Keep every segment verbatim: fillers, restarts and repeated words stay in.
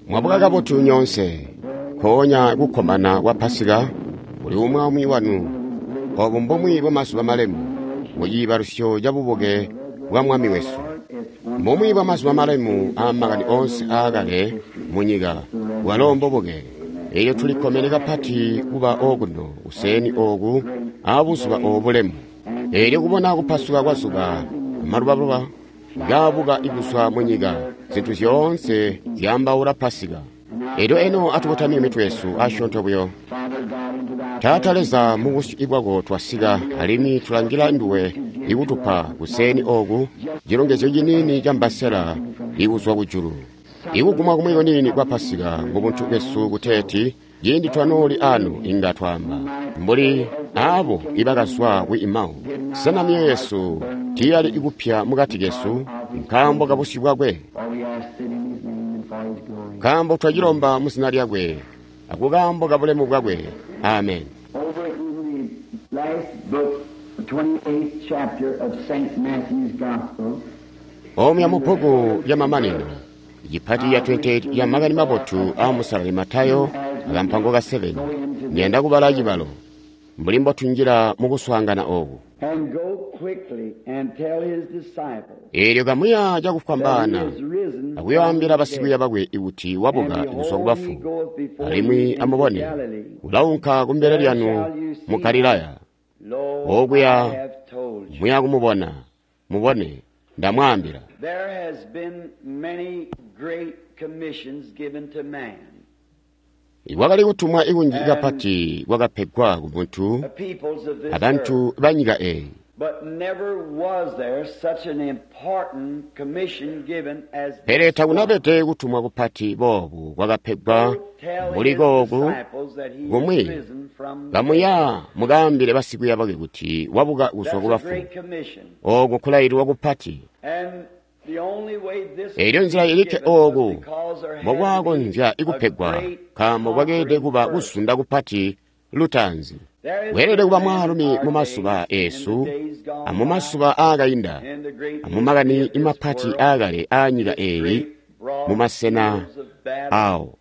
Mwabuka kabotu nyoonse. Mpoonya kukkomana kwa Pasika kuli umwi aumwi wanu. Obu mbumwi bwamazuba malemu muciibalusyo cabubuke bwa Mwami wesu. Mbumwi bwamazuba malemu aamakani oonse aakale munyika bwalo mbubuke. Elyo tulikkomene kapati kuba okuno kuseeni ooku aabuzuba oobu bulemu. Elyo kubona kupasuka kwa zuba amalubaluba kaabuka kuzwa munyika, zintu zyoonse zyaambaula Pasika. Elyo eno atukotamye mitwe yesu asyoonto buyo. Taata Leza, mubusyu bwako twasika, alimwi tulangila nduwe ikutupa kuseeni ooku cilongezyo ciniini ca mbasela ikuzwa kujulu. Ikugumwa kumwi kuniini kwa Pasika mubuntu bwesu kuteeti ciindi twanooli anu inga twaamba mbuli aabo ibakazwa ku Emau, sena myoyo yesu tiiyali ikupya mukati kesu nkaambo kabusyu bwakwe? Nkaambo twacilomba mu zina lyakwe akukaambo kabulemu bwakwe. Amen. Over in the last book, the twenty-eighth chapter of Saint Matthew's Gospel, Omuya mu bbuku lyamamanino, cipati ya twenty-eight ya Makani Mabotu aa Musalali Matayo akampango ka seven, ndiyanda kubala cibalo mbuli mbotunjila mukuswaangana ooku. And go quickly and tell his disciples Eelyo kamuya that he cakufwambaana is risen akuyoambila from the basikwiiya dead. bakwe kuti wabuka And kuzwa behold, he kubafu, goeth before you alimwi into amubone Galilee. ulaunka kumbele There lyanu shall you mu see Galilaya. him. Lo, Okuya I have told you. muya kumubona, mubone, ndamwaambila. There has been many great commissions given to man. Kwakali kutumwa ikunji And kapati kwakapegwa ku muntu the peoples of this abantu earth. ba nyika eyi. But never was there such an important commission given as Pele this one. takunabede kutumwa kupati boobu kwakapegwa Go tell mbuli his kooku disciples that he is kumwi risen from the dead. kamuya mukaambile basikwiiya bakwe kuti wabuka kuzwa That's a kubafu. great commission. Ooku nkulaililwa kupati. And the only way this Elyo could nzila be ilikke given was ooku because there had to be mbokwakonzya a kupegwa great nkaambo kwakeelede conquering kuba first. kuzunda kupati lutaanzi. There has Weelede been kuba men in mwaalumi our mu mazuba days, in the eesu days gone amumazuba by, aakainda in the great history amumakani of this mapati world, aakale aanyika this eeyi great broad mumasena fields of battle, awo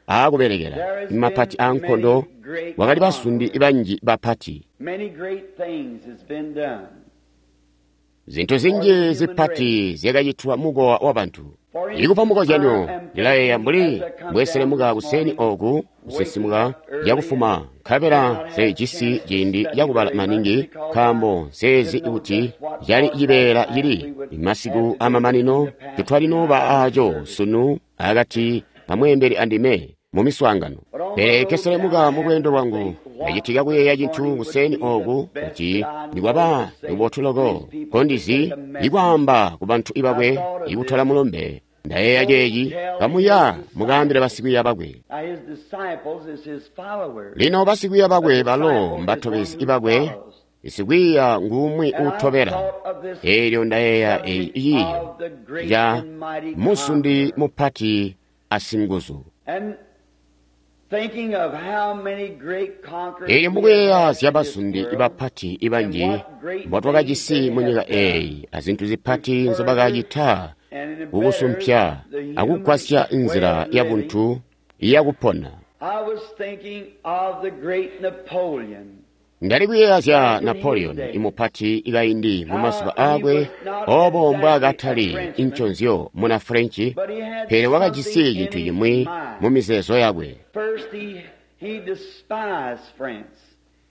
aakubelekela there has mapati been aankondo many great kwakali basundi conquerors. banji bapati. Many great things has been done Zintu for the zinji human race. zipati zyakacitwa mukowa wabantu. For Ikupa instance, I mukozyanyo, am ndilayeeya thinking mbuli as I come down mbweselemuka this kuseeni morning, ooku waking kusinsimuka up early cakufuma and did nkabela not have a nsejisi chance to ciindi study cakubala very much maningi because I nkaambo nseezi didn't know kuti just what cali part cibeela last night cili we would have masiku to do in amamanino the pastor's tetwalinooba aaco service. sunu akati pamweembeli andime mu miswaangano. But on my Pele road down, keselemuka I mu happened lweendo to lwangu think what ndacitika kuyeeya this cintu morning would kuseeni be the ooku best kuti that I know nikwaba to say lubotu to loko these people to kondizi take a message. ikwaamba ku bantu I bakwe thought of ikutola this. mulumbe. Ndayeeya Go ceeci, tell kamuya his mukaambile disciples. basikwiiya bakwe. Now his disciples is his followers. Lino basikwiiya A bakwe balo disciple is one mbatobezi who bakwe, follows. sikwiiya ngumwi And I uutobela. thought of this Elyo ndayeeya eyi subject ciiyo of the great ca and mighty musundi conqueror. mupati asinguzu. And thinking of how many great conquerors Elyo we have mukuyeeya had zya in this basundi world, bapati and banji what great things mbotwakajisi they mu nyika have done eeyi azintu to zipati further nzobakacita and better kukusumpya the human akugwasya way nzila of living, yabuntu yakupona. I was thinking of the great Napoleon Ndali kuyeeya zya back in his Napoleon day. imupati ikaindi mu mazuba How he aakwe was not obo exactly a mbwaakatali Frenchman, nconzyo muna Frenchi, but he had pele wakajisi something in cintu his cimwi mu mind. mizeezo yakwe. First, he, he despised France.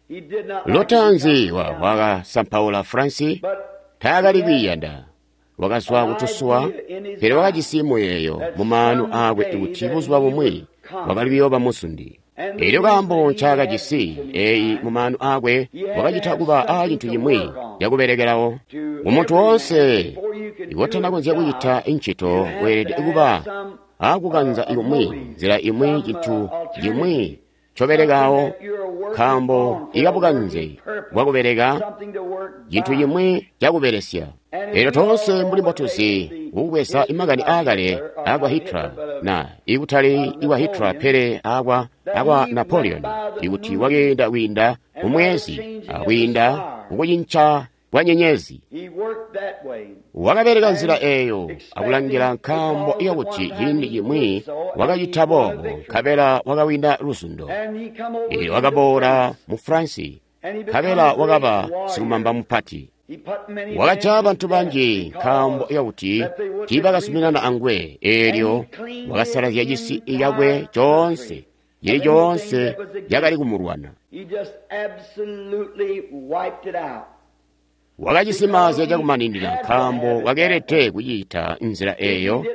He did not like to Lutaanzi become wa Italian. wakasampaula Fransi, But taakali he had kwiiyanda. Wakazwa an kutusuwa, idea in his pele mind wakajisi muyeeyo that mu maanu aakwe someday kuti that buzuba he bumwi would wakali conquer. kuyooba musundi. And the Elyo reason kaambo he had ncaakajisi this in his eeyi mind, mu maanu aakwe he had to wakacita have kuba aa something cintu to cimwi work on. cakubelekelawo. To Kumuntu every man, woonse before you can do ikotana a konzya job, kucita ncito you have to weelede have kuba some aakukanza uh, a ikumwi motive, nzila imwi some cintu uh, cimwi alternative, something ncobelekawo that you're working nkaambo on for a ikabukanze working purpose, bwakubeleka something to work cintu by. cimwi cakubelesya. And as Elyo we all toonse know mbuli what they, mbotuzi the kukubweza history imakani of aakale Hitler, or aakwa not Hitler, Hitler but of, na ikutali of ikwa Hitler Napoleon, pele aakwa that akwa he went Napoleon by the ikuti moon wakeenda kwiinda and by the kumwezi changing of the akwiinda stars. kukucinca kwa nyenyezi. He worked that way. Wakabeleka nzila eeyo akulangila nkaambo yakuti ciindi cimwi wakacita boobo nkabela wakawina luzundo. Eelyo wakaboola mu France, nkabela wakaba silumamba mupati. Wakajaya bantu banji nkaambo yakuti tiibakazuminana anguwe. Eelyo wakasalazya cisi cakwe coonse, cili coonse cakali kumulwana. Wakacisimaazya cakumaninina nkaambo wakeelede kucita nzila eeyo.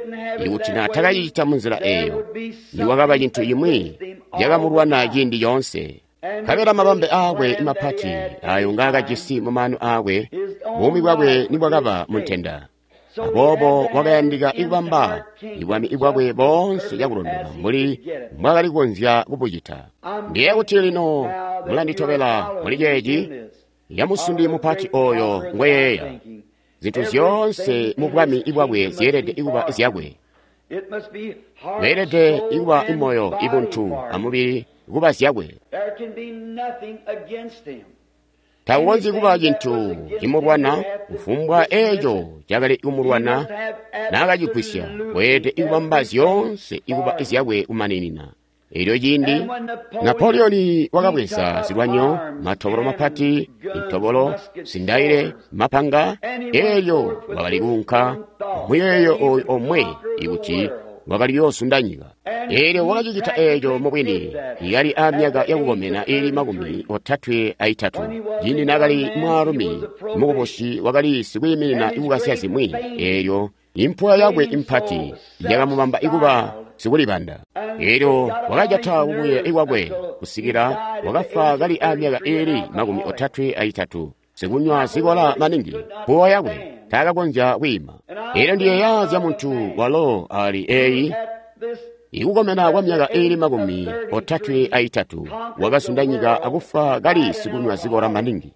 Ikuti naatakacicita munzila eeyo, nikwakaba cintu cimwi cakamulwana ciindi coonse. Nkabela mabambe aakwe mapati ayo ngaakajisi mumaanu aakwe, buumi bwakwe nibwakaba muntenda. Aboobo wakayandika ikubamba ibwami bwakwe boonse cakulondoka mbuli mbwaakali kukonzya kubucita. Ndiye kuti lino mulanditobela muli ceeci yamusundi mupati oyo ngweyeeya. Zintu zyoonse mu bwami bwakwe zyeelede kuba zyakwe. Beelede kuba imoyo, ibuntu amubili kuba zyakwe. Takukonzyi kuba cintu cimulwana kufumbwa eeco cakali kumulwana naakacigwisya. Weelede kubamba zyoonse kuba zyakwe kumaninina. Eelyo ciindi Napoleoni wakabweza zilwanyo, matobolo mapati, intobolo, zindaile, mapanga. Eelyo wakali kuunka muyeeyo oyu omwe ikuti wakali kuyoosunda nyika. Eelyo wakacicita eeco mubwini kali aamyaka yakukomena iili makumi otatwe aitatu. Ciindi naakali mwaalumi mukubusi wakali sikwiiminina ikukasya zimwi. Eelyo impuwa yakwe impati yakamubamba ikuba sikulibanda. Eelyo wakajata kubuye kwakwe kusikila wakafwa kali aamyaka iili makumi otatwe aitatu, sikunywa zikola maningi. Mpuwo yakwe taakakonzya kwiima. Eelyo ndiyeeya zya muntu walo ali eeyi ikukomena kwa myaka iili makumi otatwe aitatu, wakasunda nyika akufwa kali sikunywa zikola maningi.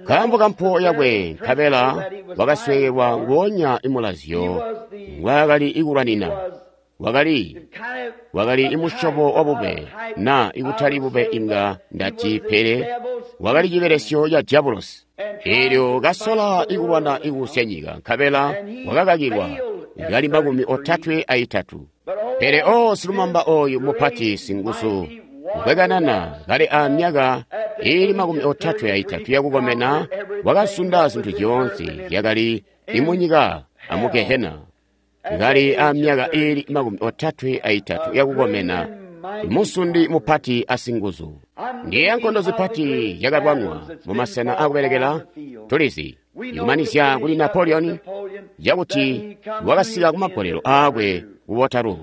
Nkaambo ka mpuwo yakwe, nkabela wakasweekelwa nguonya imulazyo ngwaakali ikulwanina. Wakali wakali imusyobo wa bube, na ikutali bube inga ndati, pele wakali cibelesyo ca diabulosi. Eelyo kasola ikulwana ikusya nyika, nkabela wakakakilwa kali makumi otatwe aitatu. Pele o silumamba oyu mupati singuzu ngwekanana kali aamyaka iili makumi otatwe aitatu yakukomena, wakasunda zintu zyoonse zyakali imunyika amu Gehena. Kali aamyaka iili makumi otatwe aitatu yakukomena, musundi mupati asinguzu. Ndiye nkondo zipati zyakalwanwa mumasena akubelekela. Tulizi ikumanizya kuli Napoleon yakuti wakasika kumagolelo aakwe ku Waterloo.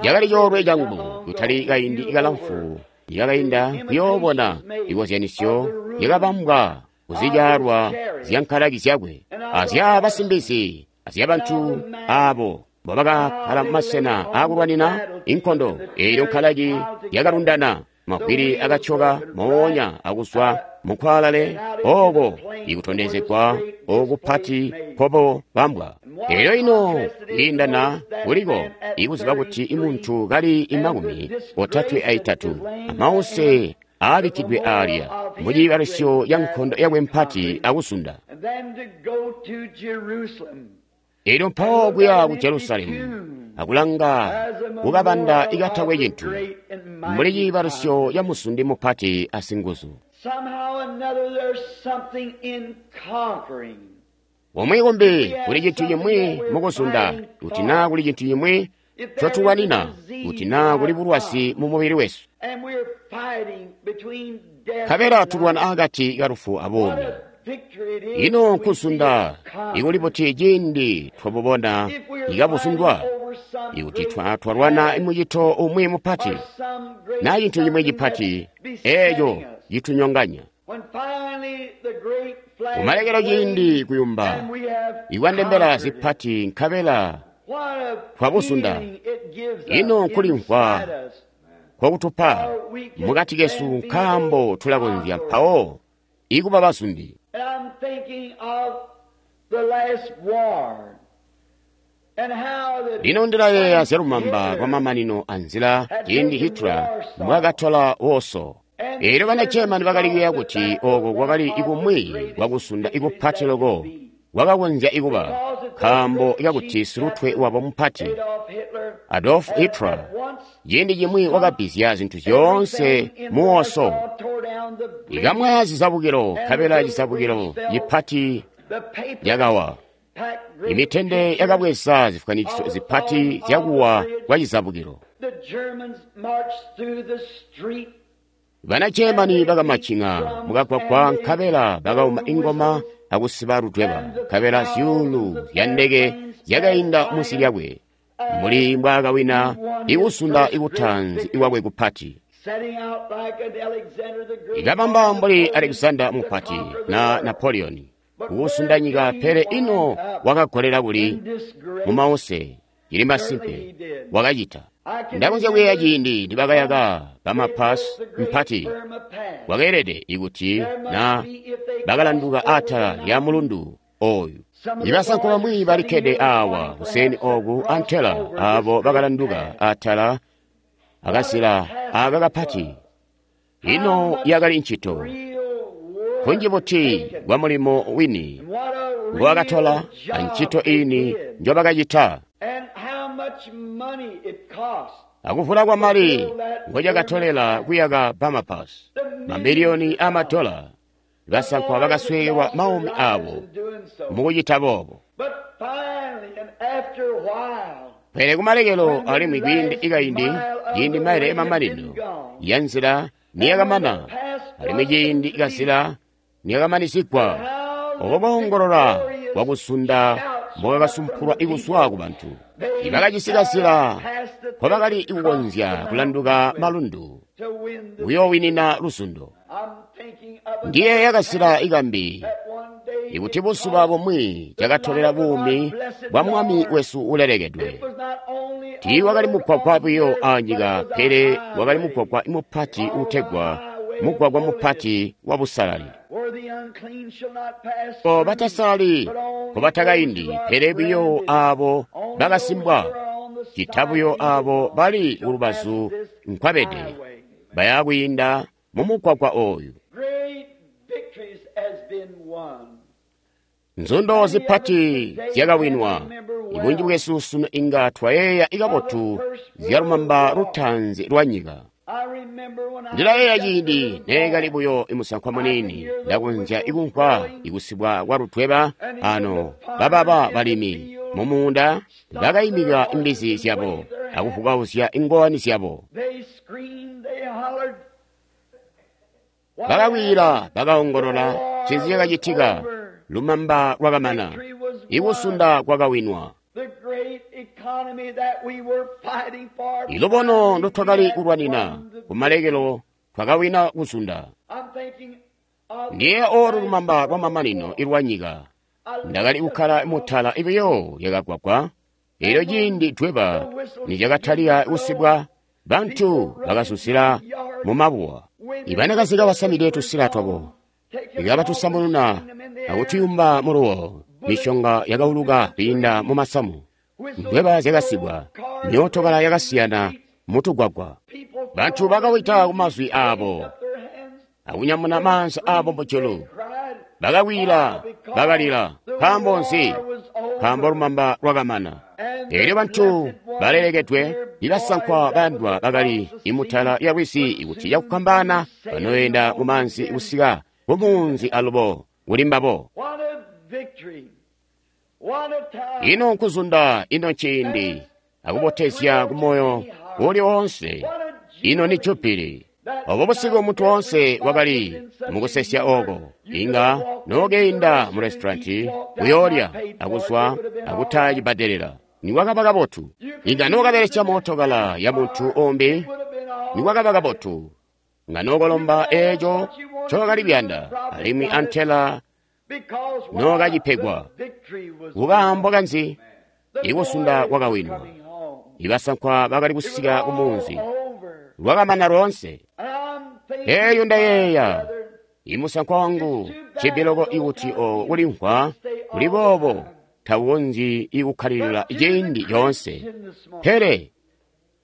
Cakali coolwe cangu kutali kaindi kalamfu yakainda kuyoobona ikozyanisyo yakabambwa kuzikyalwa zya nkalaki zyakwe azya basimbizi azyabantu aabo mbobakakkala mumasena aakulwanina inkondo. Eelyo nkalaki yakalundana, mavwili akatyoka moonya akuzwa mukwalale ooko ikutondezegwa okupati nkobobambwa. Eelyo ino kwiindana kuliko ikuziba kuti imuntu kali imakumi otatwe aitatu amause aabikkidwe aalya muciibalisyo ya nkondo yakwe mpati akusunda. Eelyo mpawo kuya ku Jerusalemu akulanga kukabanda ikatakwe cintu mbuli ciibalisyo ya musundi mupati asinguzu. Omwe kumbi kuli cintu cimwi mukuzunda, kuti naa kuli cintu cimwi cotulwanina, kuti naa kuli bulwazi mu mubili wesu. Nkabela tulwana akati kalufu abuumi. Ino nkuzunda ikuli buti ciindi twabubona ikabuzundwa? Ikuti twalwana mucito umwi mupati naa cintu cimwi cipati eeco citunyonganya. Kumalekelo ciindi kuyumba ikwandembela zipati nkabela twabuzunda, ino nkulimvwa kwakutupa mukati kesu nkaambo tulakonzya mpawo ikuba bazundi. Lino ndilayeeya zyalumamba lwamamanino anzila ciindi Hitler mbwaakatola Warsaw. Eelyo bana German bakali kuyeeya kuti oko kwakali ikumwi kwakusunda ikupati loko kwakakonzya ikuba, nkaambo kakuti silutwe wabo mupati Adolf Hitler ciindi cimwi wakabbizya zintu zyoonse mu Warsaw, ikamwaya zizabukilo nkabela cizabukilo cipati yakawa. Imitende yakabweza zifwanikiso zipati zyakuwa kwa cizabukilo. Bana Germany bakamacing'a mukagwagwa nkabela bakauma ingoma akusiba ludweba, nkabela zyuulu zya ndeke zyakainda munsi lyakwe, mbuli mbwaakawina ikusunda ikutaanzi ikwakwe kupati. Ikabamba mbuli Alexander Mupati na Napoleon kukusunda nyika, pele ino wakagolela kuli mumause. Cili masimpe wakacita. Ndakonzya kuyeeya ciindi nibakayaka bamapasi mpati, kwakeelede ikuti na bakalanduka atala lya mulundu oyu. Ibasankwa bamwi balikkede awa kuseni oku antela abo bakalanduka atala akazila aka kapati. Ino yakali ncito kunji buti bwa mulimo wini ngowakatola ancito ini njobakacita, akuvula kwa mali ngocakatolela kuyaka Bamapas, mamiliyoni amadola. Basankwa bakasweekelwa maumi abo mukucita boobo. Pele kumalekelo alimwi kwiindi ikaindi, ciindi maile emamanino ya nzila niyakamana, alimwi ciindi ikazila niyakamanisigwa, obo boongolola kwakusunda mbokakasumpulwa ikuswa ku bantu ibakajisi kazila nkobakali kukonzya kulanduka malundu kuyoowinina luzundo. Ndiyeeya kazila ikambi ikuti buzuba bumwi cakatolela buumi bwa Mwami wesu ulelekedwe. Tiiwakali mugwagwa buyo anyika, pele wakali mugwagwa mupati uutegwa mugwagwa mupati wa busalali. Ko batasalali kobatakaindi, pele buyo abo bakasimbwa, cita buyo abo bali kulubazu nkwabede baya kwiinda mumugwagwa oyu. Nzundo zipati zyakawinwa. Ibunji bwesu sunu inga twayeeya ikabotu zyalumamba lutaanzi lwa nyika. Ndilayeeya ciindi neekali buyo imusankwa muniini, ndakonzya ikumvwa ikusibwa kwa ludweba ano bababa balimi mumuunda bakayimika imbizi zyabo akuvukauzya ingowani zyabo. Bakakwila, bakaongolola, ncinzi cakacitika? Lumamba lwakamana, ikusunda kwakawinwa. Ilubono ndotwakali kulwanina kumalekelo twakawina kusunda. Ndiye olu lumamba lwa mamanino ilwa nyika. Ndakali kukkala mutala ibiyo lyakagwagwa. Elyo ciindi dweba nicakatalika kusibwa, bantu bakasusila mumabuwa. Ibanakazi kabasamide tusila twabo ikabatusamununa akutuyumba muluwo. Mishonga yakauluka kwiinda mumasamu, ndweba zyakasibwa, myootokala yakasiyana mutugwagwa. Bantu bakawita kumazwi aabo akunyamuna maanza aabo mujulu, bakakwila, bakalila. Nkaambo nzi? Nkaambo lumamba lwakamana. Elyo bantu balelekedwe ibasankwa bayandwa bakali imutala lya lwizi ikuti cakukambana banoyenda mumaanzi kusika kumunzi alubo kuli mbabo. Ino nkuzunda, ino nciindi akubotezya kumoyo uli woonse. Ino ni jubili. Obo busiku muntu woonse wakali mukusesya oko. Inga nookeinda mu restauranti kuyoolya akuzwa akutaya cibbadelela, nikwakaba kabotu. Inga nookabelesya mootokala ya muntu umbi, nikwakaba kabotu. Nga nookolomba eeco ncookali kuyanda, alimwi antela nookacipegwa. Kukaambo kanzi? Ikusunda kwakawinwa. Ibasankwa bakali kusika kumunzi, lwakamana loonse. Eeyo ndayeeya imusankwa wangu cibiloko ikuti o kulimvwa kuli boobo tawukonzyi ikukkalilila ciindi coonse. Pele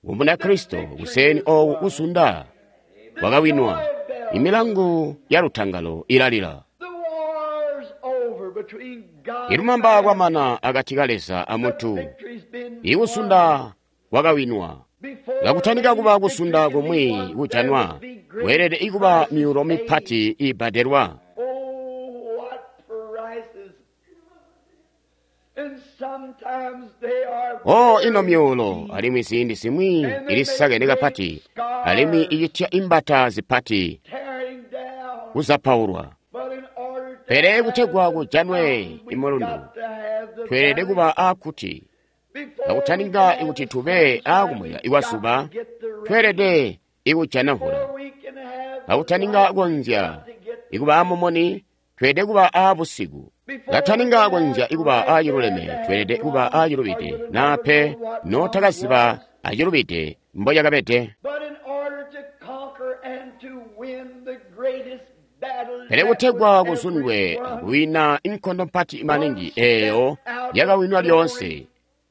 ku Munakristo kuseni ooku kusunda kwakawinwa. Imilangu ya lutangalo ilalila. The war's over between God Ilumamba and man. kwamana akati ka Leza The amuntu. victory's been won. Ikusunda kwakawinwa. Before Kakutanika kuba any kusunda victory can be kumwi won, there kujanwa, must be great kweelede ikuba prices myulo paid. mipati ibbadelwa. Oh, what prices! And sometimes they are O very ino myulo, deep. alimwi ziindi zimwi ilisakene kapati, alimwi icitya imbata zipati tearing down. kuzapaulwa. But in order to Pele have kutegwa the kujanwe mountain, we've imulundu, got to have the tweelede valley. kuba aakuti. Before we Kakutaninga can have ikuti the tube sunshine, aakumweka we've ikwa got zuba, to get the rain. tweelede ikujana mvula. Before we can have the Kakutaninga light, we've konzya got to get the ikuba aamumuni, tweelede kuba aabusiku. Before we Kataninga can konzya have ikuba right, aaciluleme, we had to tweelede have kuba wrong, or aacilubide, you'd have naa never pe known what wrong nootakaziba was. acilubide mbolyakabede. But in order to conquer and to win the greatest battle Pele that kutegwa was ever kuzundwe won, akuwina inkondo mpati maningi one step eeyo out of yakawinwa glory lyoonse,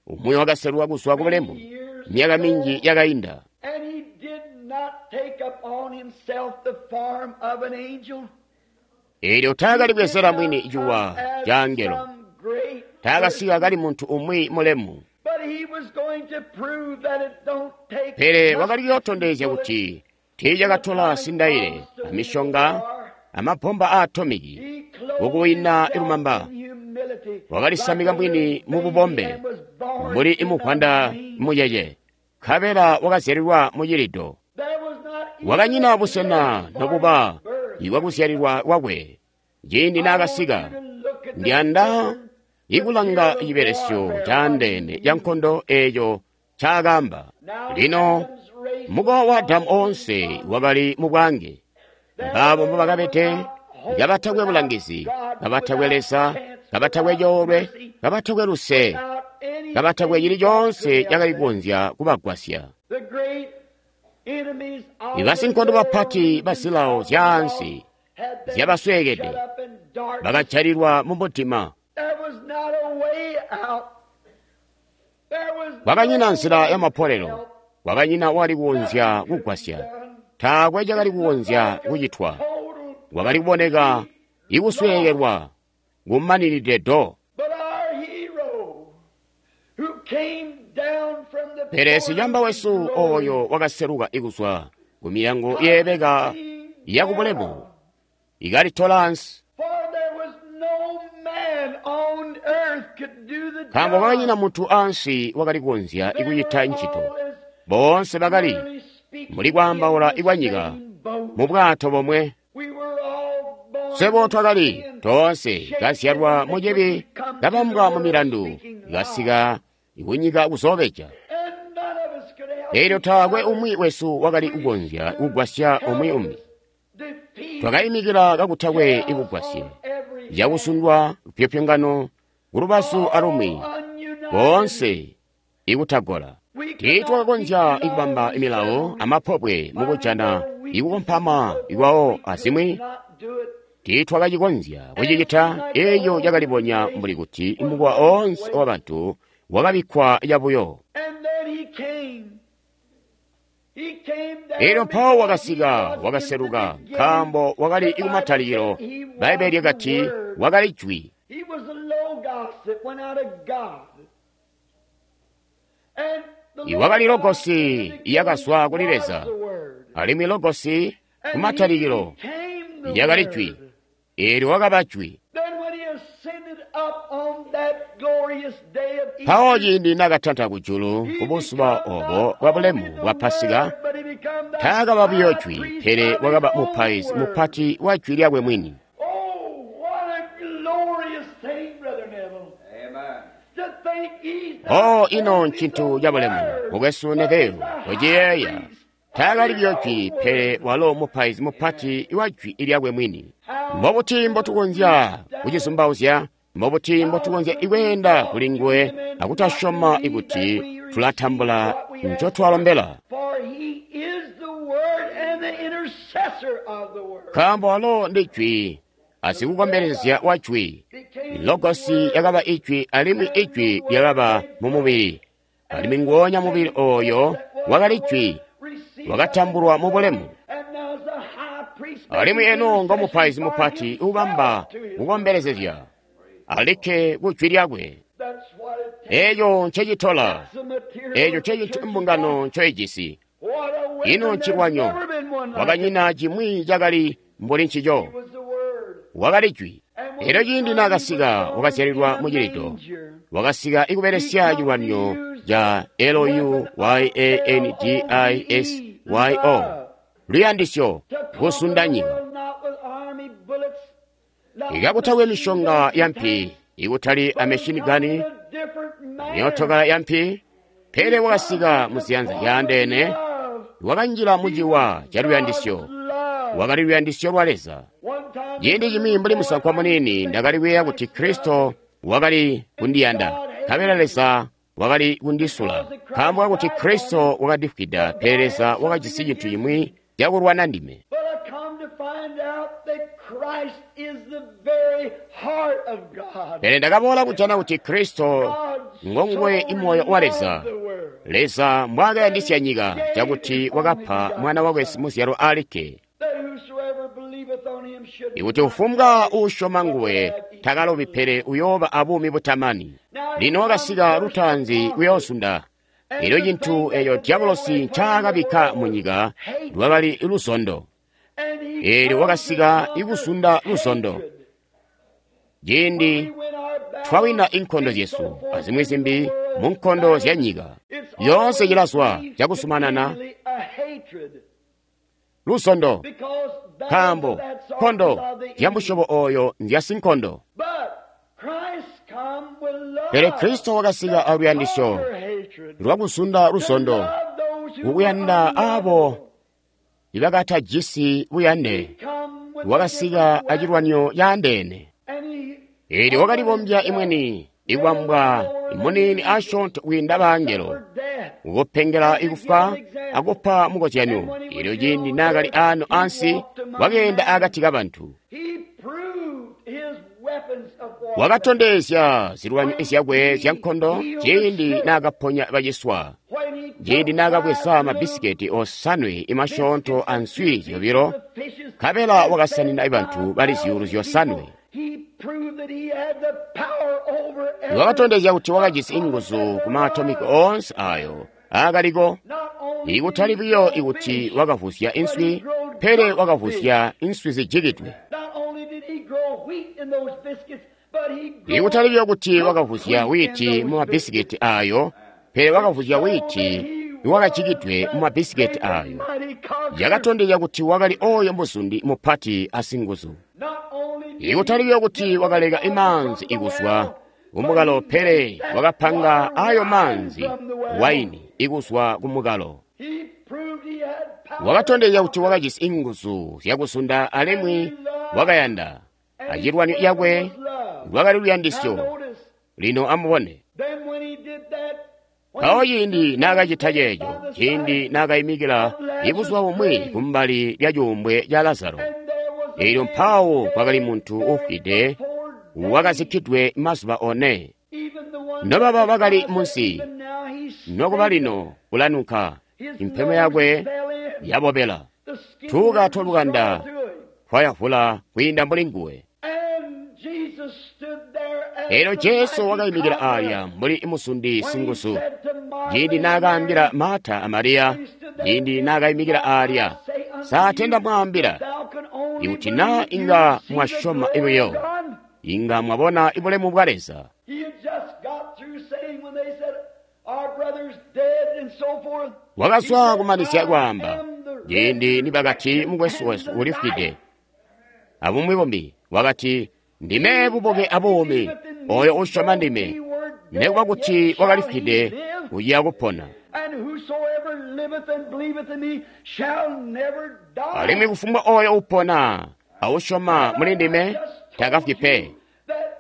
umwi wakaselwa kuzwa ku many bulemu years myaka ago, minji yakayinda. and he did not take upon himself the form of an angel. Eelyo He taakali did bwezera not mwini come ciwa as ca angelo, some great taakasika person, kali munthu umwi mulemu. but he was going to prove that it don't take Pele wakali muskets and kuyootondezya bullets kuti when the tiichakatola time sindaile, comes to win a amishonga, war. amabomba a atomiki He clothed kukuwina himself ilumamba. in humility like Wakalisamika a little mwini mu baby bubombe and was born mbuli in a imuvwanda manger. muyeye, nkabela wakazyalilwa mu cilido. There was not even Wakanyina a busena place for nobuba his birth. ibwakuzyalilwa kwakwe. Ciindi I want naakasika, you to look at the ndiyanda different ikulanga material of cibelesyo warfare, what he caandeene ca used. nkondo eeco ncaakaamba. Now Lino Adam's race mukowa was wa Adamu all in oonse bondage. wakali mu bwange. There Mbaabo they were mbobakabede, without hope, kabatakwe without bulangizi, God, kabatakwe without Leza, chance, kabatakwe without coolwe, mercy, kabatakwe luse, without kabatakwe anything cili that could coonse help cakali them. kukonzya kubagwasya. The great enemies of the Ibasinkondo world bapati ba and zilawo of the zyaansi lost had been zyabasweekede, shut up in darkness. bakajalilwa mu mudima. There was not a way out. There was Kwakanyina no nzila one to yamapolelo, help. kwakanyina wali kukonzya Nothing could be kugwasya, done. taakwe cakali It looked kukonzya like a kucitwa. total, Kwakali kuboneka complete loss. ikusweekelwa kumaninide do. But our hero, who came down from the Pele sicamba portals of wesu glory, oyo wakaseluka ikuzwa ku miyango yeebeka conquering yakubulemu down. ikalitola ansi, For there was no man on earth could do the nkaambo kwakanyina job. munthu ansi wakali kukonzya They ikucita were ntchito. all as Boonse bakali merely muli speaking in kwaambaula the ikwanyika same boat. mu bwato bomwe. We were all born Swebo in twakali sin, toonse shaped in kazyalwa mu chibi, iniquity, come to the kabambwa mu world milandu, speaking lies. kasika ikunyika kuzoobeja. And none of us could help Eelyo each taakwe other. umwi wesu wakali We kukonzya stood kugwasya umwi umbi. helpless, defeated, Twakayimikila kakutakwe chaos ikugwasye, on every hand, cakusundwa lupyopyongano kulubazu alumwi, all ununited. boonse ikutagola. We could not keep Tiitwakakonzya laws ikubamba imilawo ourselves. amapobwe Finding mukujana our weakness and ikukompama so forth, ikwawo we could azimwi, not do it. tiitwakacikonzya And it kucicita. seemed like the Eeyo whole cakalibonya human mbuli race kuti was mukowa on its oonse way. wabantu wakabikkwa cabuyo. And then he came. He came Eelyo down mpawo because he wakasika, was in the wakaseluka, beginning. nkaambo wakali The Bible ikumatalilo. said he was Bbaibele the lyakati Word. wakali jwi. He was the Logos that went out of God. And the Iwakali Logos in Logosi the beginning iyakazwa kuli was Leza, the Word. alimwi Logosi And he kumatalikilo became the yakali jwi. Word. Eelyo wakaba jwi. Then when he ascended up on that glorious day of Mpawo Easter, ciindi naakatanta kujulu he ku buzuba become obo not bwa only bulemu the bwa Pasika, Word, but he become the taakaba buyo high jwi, priest pele of his wakaba own mupaizi Word. mupati wa jwi lyakwe mwini. Oh, what a glorious thing, Brother Neville. Amen. To think he's O not ino only ncintu the ca bulemu, Word, mukwesu but he's Neville, the high uciyeeya. priest of Taakali his buyo own jwi, pele Word. walo mupaizi mupati wa jwi lyakwe mwini. How Mbobuti could we mbotukonzya doubt it? kucizumbauzya? Mbobuti How mbotukonzya could we ikweenda talk kuli to nguwe him and not akutasyoma believe that ikuti we receive tulatambula what we ask for? ncotwalombela? For he is the Word and the intercessor of the Word. Nkaambo walo ndi jwi, The asikukombelezya Logos wa jwi. became the Logosi Word, yakaba ijwi alimwi and the ijwi Word lyakaba made mu flesh, mubili, alimwi and the nguonya mubili same flesh oyo that was wakali the jwi, Word received up into wakatambulwa mu glory, bulemu, and now is the high priest Alimwi eno ngo mupaizi mupati ubamba kukombelezezya alikke ku jwi lyakwe. Eeco ncecitola, eeco ncecintu mbungano ncoijisi. Ino ncilwanyo, wakanyina cimwi cakali mbuli ncico. Wakali jwi. Elyo ciindi naakasika, wakazyalilwa mu cilido. Wakasika ikubelesya cilwanyo ca L U Y A N D I S Y O, luyandisyo, kusunda nyika. Ikakutakwe mishonga ya mpi, ikutali a machine gun, myootokala ya mpi, pele wakasika mu ziyanza zyaandeene, wakanjila mu ciwa ca luyandisyo. Wakali luyandisyo lwa Leza. Ciindi cimwi mbuli musankwa muniini ndakali kuyeeya kuti Kristo wakali kundiyanda, nkabela Leza wakali kundisula, nkaambo kakuti Kristo wakandifwida, pele Leza wakajisi cintu cimwi cakulwana ndime. Pele ndakaboola kujana kuti Kristo ngonguwe imoyo wa Leza. Leza mbwaakayandisya nyika cakuti wakapa mwana wakwe muzyalwa alikke, ikuti kufumbwa uusyoma nguwe takalobi pele uyooba abuumi butamani. Lino wakasika lutaanzi kuyoozunda. Elyo cintu eco diabolosi ncaakabikka mu nyika lwakali luzondo. Eelyo wakasika ikuzunda luzondo. Ciindi twawina inkondo zyesu azimwi zimbi mu nkondo zya nyika, yoonse cilazwa cakusumanana luzondo, nkaambo nkondo zya musyobo oyo nzya sinkondo. Pele Kristo wakasika aluyandisyo lwakuzunda luzondo, kukuyanda aabo ibakatajisi buyande. Wakasika acilwanyo caandeene. Eelyo wakalibombya imweni, ikwambwa muniini asyoonto kwiinda bangelo, kukupengela ikufwa akupa mukozyanyo. Eelyo ciindi naakali aano ansi, wakeenda akati kabantu. Wakatondezya zilwanyo zyakwe zyankondo ciindi naakaponya baciswa, ciindi naakabweza mabisiketi osanwe imasyoonto answi zyobilo, nkabela wakasanina bantu bali zyuulu zyosanwe. Wakatondezya kuti wakajisi inguzu ku maatomiki oonse ayo aakaliko, ikutali buyo ikuti wakavuzya inswi, pele wakavuzya inswi zijikidwe. Ikutali buyo kuti wakavuzya wiiti mu mabisiketi ayo, pele wakavuzya wiiti iwakajikidwe mu mabisiketi ayo. Yakatondezya kuti wakali oyo muzundi mupati asinguzu. Ikutali buyo kuti wakaleka imaanzi ikuzwa kumukalo, pele wakapanga ayo maanzi waini ikuzwa kumukalo. Wakatondezya kuti wakajisi inguzu zyakusunda alimwi wakayanda. Acilwanyo yakwe lwakali luyandisyo. Lino amubone. Mpawo ciindi naakacita ceeco, ciindi naakayimikila ibuzuba bumwi kumbali lya cuumbwe ca Lazaro, eelyo mpawo kwakali muntu ufwide wakazikkidwe mazuba one. Nobaba bakali munsi, nokuba lino kulanunka, impemo yakwe yabobela, tuuka twalukanda twayavula kwiinda mbuli nguwe. Eelyo Jesu wakayimikila aalya mbuli musundi singuzu. Ciindi naakaambila Marta a Mariya, ciindi naakayimikila aalya, saatenda mwaambila, ikuti naa inga mwasyoma buyo, inga mwabona ibulemu bwa Leza. Wakazwa kumanizya kwaamba, ciindi nibakati mukwesu wesu ulifwide, abumwi bumbi, wakati, ndime bubuke abuumi, oyo usyoma ndime, nekuba kuti wakalifwide, uya kupona. Alimwi kufumbwa oyo upona ausyoma muli ndime takafwi pe.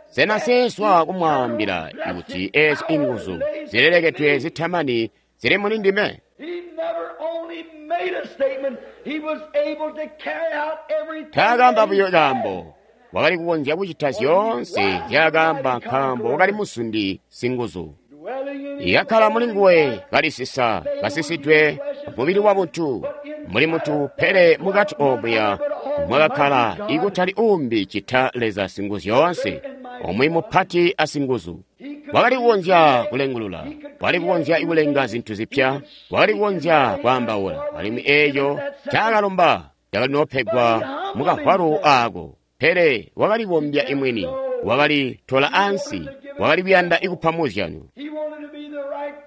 Sena seeswa kumwaambila kuti eezi inguzu zilelekedwe zitamani zili muli ndime? Taakamba buyo kaambo, wakali kukonzya kucita zyoonse nzyaakaamba nkaambo wakali musundi singuzu. Yakkala muli nguwe kalisisa, kasisidwe mubili wa buntu, muli muntu pele mukati omuya mwakakkala ikutali uumbi cita Leza Singuzyoonse, umwi mupati asinguzu. Wakali kukonzya kulengulula, wakali kukonzya kulenga zintu zipya, wakali kukonzya kwaambaula, alimwi eeco ncakalomba cakali noopegwa mukavwalu aako. Pele wakalibombya imwini, wakali tola ansi, wakali kuyanda ikupa muzyano,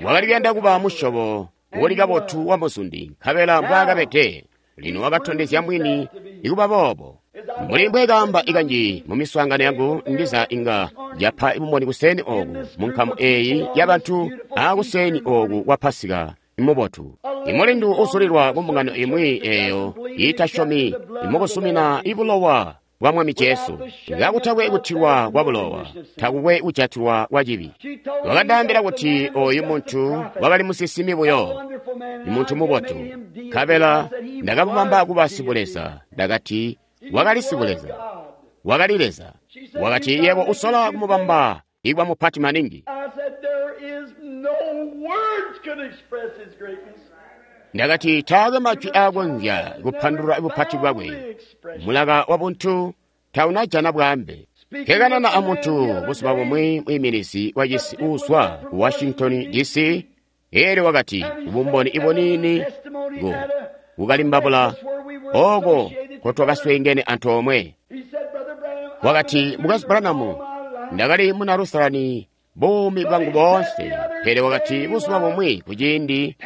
wakali kuyanda kuba musyobo uli kabotu wa muzundi, nkabela mbwaakabede. Lino wakatondezya mwini ikuba boobo. Mbuli mbwekaamba ikanji mu miswaangano yangu, ndiza inga yapa bumboni kuseni oku mu nkamu eeyi yabantu aakuseni oku kwa Pasika mubotu. Imulindu usulilwa ku mbungano imwi eeyo iitasyomi imukusumina ibulowa bwa Mwami Jesu. Kakutakwe kutilwa kwa bulowa, takukwe kujatilwa kwa cibi. Wakandaambila kuti oyu muntu wakali musinsimi buyo, muntu mubotu. Nkabela ndakamubamba kuba sibuleza. Ndakati wakali sibuleza, wakali Leza. Wakati yebo usola kumubamba ikuba mupati maningi. Ndakati taakwe majwi aakonzya kupandulula bupati bwakwe. Mulaka wa buntu taunajana bwaambe. Kekanana amuntu buzuba bumwi mwiiminizi wa cisi uuzwa ku Washington D C, eelyo wakati bumboni ibuniini ku kukalimbabula ooko nkotwakasweengene antoomwe. Wakati, Mukwesu Branham, ndakali muna Lutherani buumi bwangu boonse, pele wakati buzuba bumwi kuciindi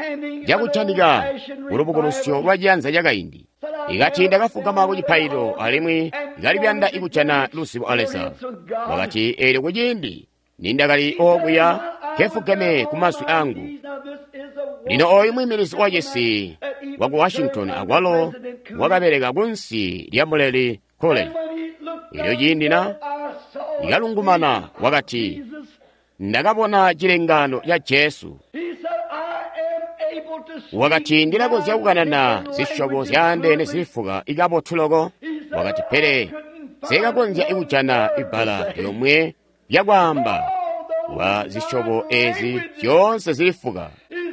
cakujanika kulubukulusyo lwa ciyanza cakaindi, ikati ndakafugama ku cipaililo alimwi ndakali kuyanda ikujana luzibo a Leza. Wakati eelyo kuciindi nindakali okuya nkefugeme ku mazwi angu. Lino oyu mwiiminizi wa cisi waku Washington akwalo wakabeleka kunsi lya Muleli College. Elyo ciindi na ikalungumana wakati, ndakabona cilengano ca Jesu. Wakati ndilakonzya kukanana zisyobo zyaandeene zilifuka ikabotu loko. Wakati pele sikakonzya kujana ibbala lyomwe lyakwaamba wa zisyobo ezi zyoonse zilifuka.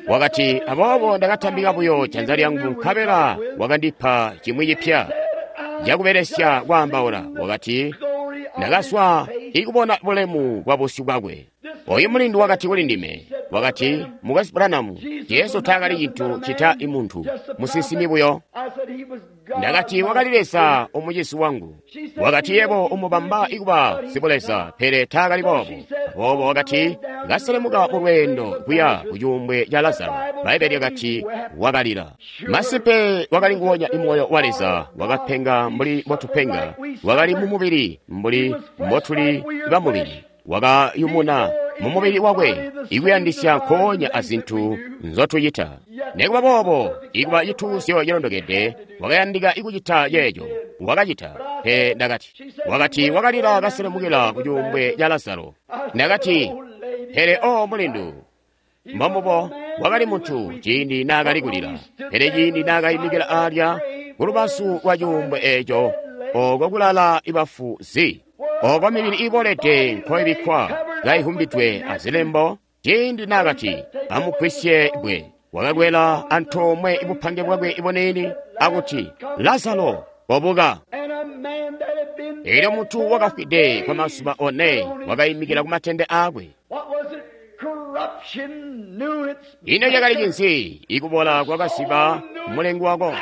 Wakati aboobo ndakatambika buyo janza lyangu nkabela wakandipa cimwi cipya cakubelesya kwaambaula. Wakati ndakaswa ikubona bulemu bwa busyu bwakwe. Oyu mulindu wakati kuli ndime, wakati, Mukwesu Branham, Jesu taakali cintu cita imuntu, musinsimi buyo. Ndakati wakali Leza umucisi wangu. Wakati yebo umubamba ikuba sibuleza, pele taakali boobo. Aboobo wakati kaselemuka mu lweendo kuya ku cuumbwe ca Lazaro. Bbaibbele lyakati wakalila. Masimpe wakali nguwonya imoyo wa Leza, wakapenga mbuli mbotupenga, wakali mu mubili mbuli mbotuli bamubili, wakayumuna mu mubili wakwe ikuyandisya nkoonya azintu nzotucita. Nikuba boobo, ikuba cituuzyo cilondokede, wakayandika ikucita ceeco wakacita. Pele ndakati, wakati wakalila kaselemukila ku cuumbwe ca Lazaro. Ndakati, pele o mulindu, mbombubo wakali muntu ciindi naakali kulila, pele ciindi naakayimikila alya kulubazu lwa cuumbwe eeco, oko kulala ibafu zi, oko mibili ibolede nkoibikkwa kaihumbidwe azilembo, ciindi naakati amugwisye bwe, wakakwela antoomwe ibupange bwakwe ibunini akuti, Lazaro, kobuka. Elyo muntu wakafwide kwa mazuba one wakayimikila ku matende aakwe. Ino cakali cinzi? Ikubola kwakasiba mulengi wako.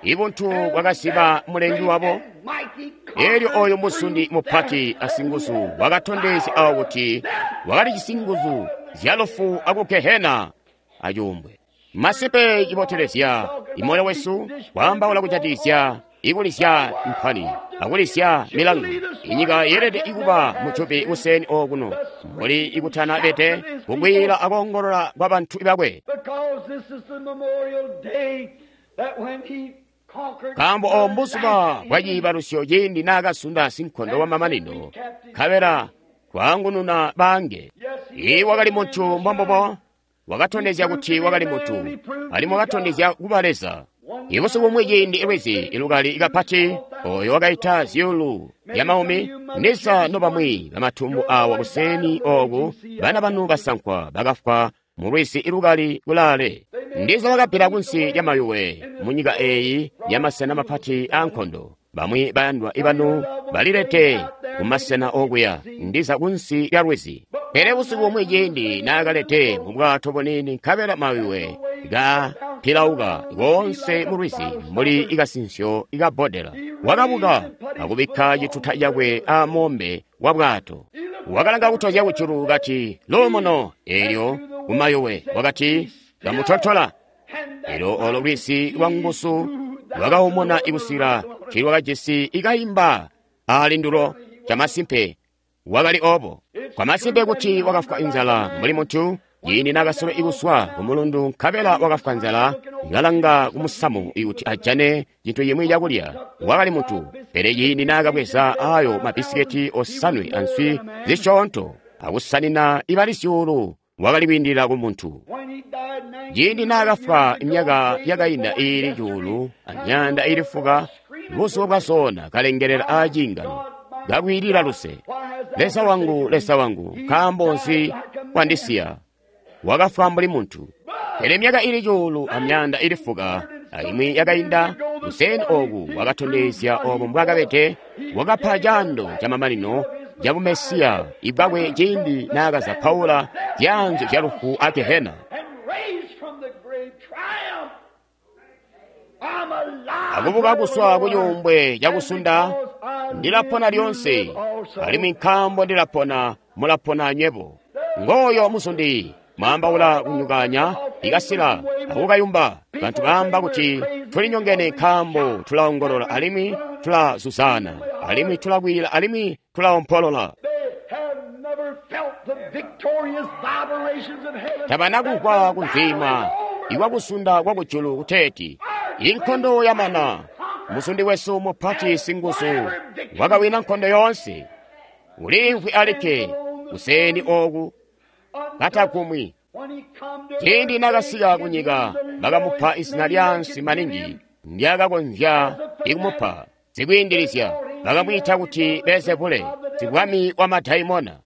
Ibuntu bwakasiba mulengi wabo. Elyo oyo musundi mupati asinguzu wakatondezya awo kuti wakali cisinguzu zya lufu aku Gehena acuumbwe. Masimpe cibotelezya imoyo wesu kwaambaula kujatikizya ikulizya mpani akulizya milangu. Inyika yeelede ikuba mucupi kuseni okuno mbuli ikutana bete kukwiila akoongolola kwa bantu bakwe. Nkaambo obo mbuzuba bwa ciibalusyo ciindi naakasunda sinkondo wamamanino, nkabela kwaangununa baange. Ii wakali muntu mbombubo, wakatondezya kuti wakali muntu, alimwi wakatondezya kuba Leza. Ibusiku bumwi ciindi lwizi ilukali kapati, oyo wakaita zyuulu lya maumi, ndiza nobamwi bamatumbu awa kuseni oku, bana banu basankwa bakafwa mu lwizi ilukali kulaale. Ndiza wakabbila kunsi lya mayuwe munyika eyi yamasena mapati aankondo. Bamwi bayandwa ibanu balilete kumasena okuya, ndiza kunsi lya lwizi. Pele busiku bumwi ciindi naakalete mu bwato buniini nkabela mayuwe ka pilauka koonse mu lwizi mbuli ikasinsyo ikabbodela. Wakabuka akubikka cituta cakwe a moombe wa bwato. Wakalanga kutozya kujulu kati, "Luumuno," eelyo kumayuwe wakati, "Kamutontola." Elyo olo lwizi lwa nguzu lwakaumuna ikusila ntilwakajisi ikayimba ali ndulo. Chamasimpe wakali obo. Kwamasimpe kuti wakafwa inzala mbuli muntu ciindi naakasola ikuswa kumulundu nkabela wakafwa nzala kalanga kumusamu kuti ajane cintu cimwi cakulya. Wakali muntu. Pele ciindi naakabweza ayo mabisiketi osanwe answi zisyoonto akusanina ibali zyuulu, wakali kwiindilila ku muntu. Ciindi naakafwa myaka yakainda iili cuulu amyaanda iili fuka, buzuba bwa zona kalengelela aaciingano kakwiilila luse, "Leza wangu, Leza wangu, nkaambo nzi wandisiya?" Wakafwa mbuli muntu. Pele myaka ili cuulu amyaanda ili fuka alimwi yakainda, kuseeni ooku wakatondezya obo mbwaakabede. Wakapa caando camamanino ca bumesiya ibwakwe ciindi naakazapaula zyaanzyo zya lufu a Gehena. Akubuka kuswa kucuumbwe cakusunda, ndilapona lyonse, alimwi nkaambo ndilapona, mulapona anywebo. Ngooyo muzundi mwaambaula kunyukanya ikasila akukayumba. Bantu baamba kuti tulinyongene nkaambo tulaongolola alimwi tulazuzana alimwi tulakwila alimwi tulaompolola. Tabana kugwa kunzima ikwakusunda kwa kujulu kuteeti inkondo yamana. Muzundi wesu mupati singuzu wakawina nkondo yoonse. Uliimvwi alikke kuseeni ooku katakumwi. Ciindi naakasika kunyika bakamupa izina lyaansi maningi ndyakakonzya ikumupa. Zikwiindilizya bakamwiita kuti Belzebule, sibwami wa madaimona.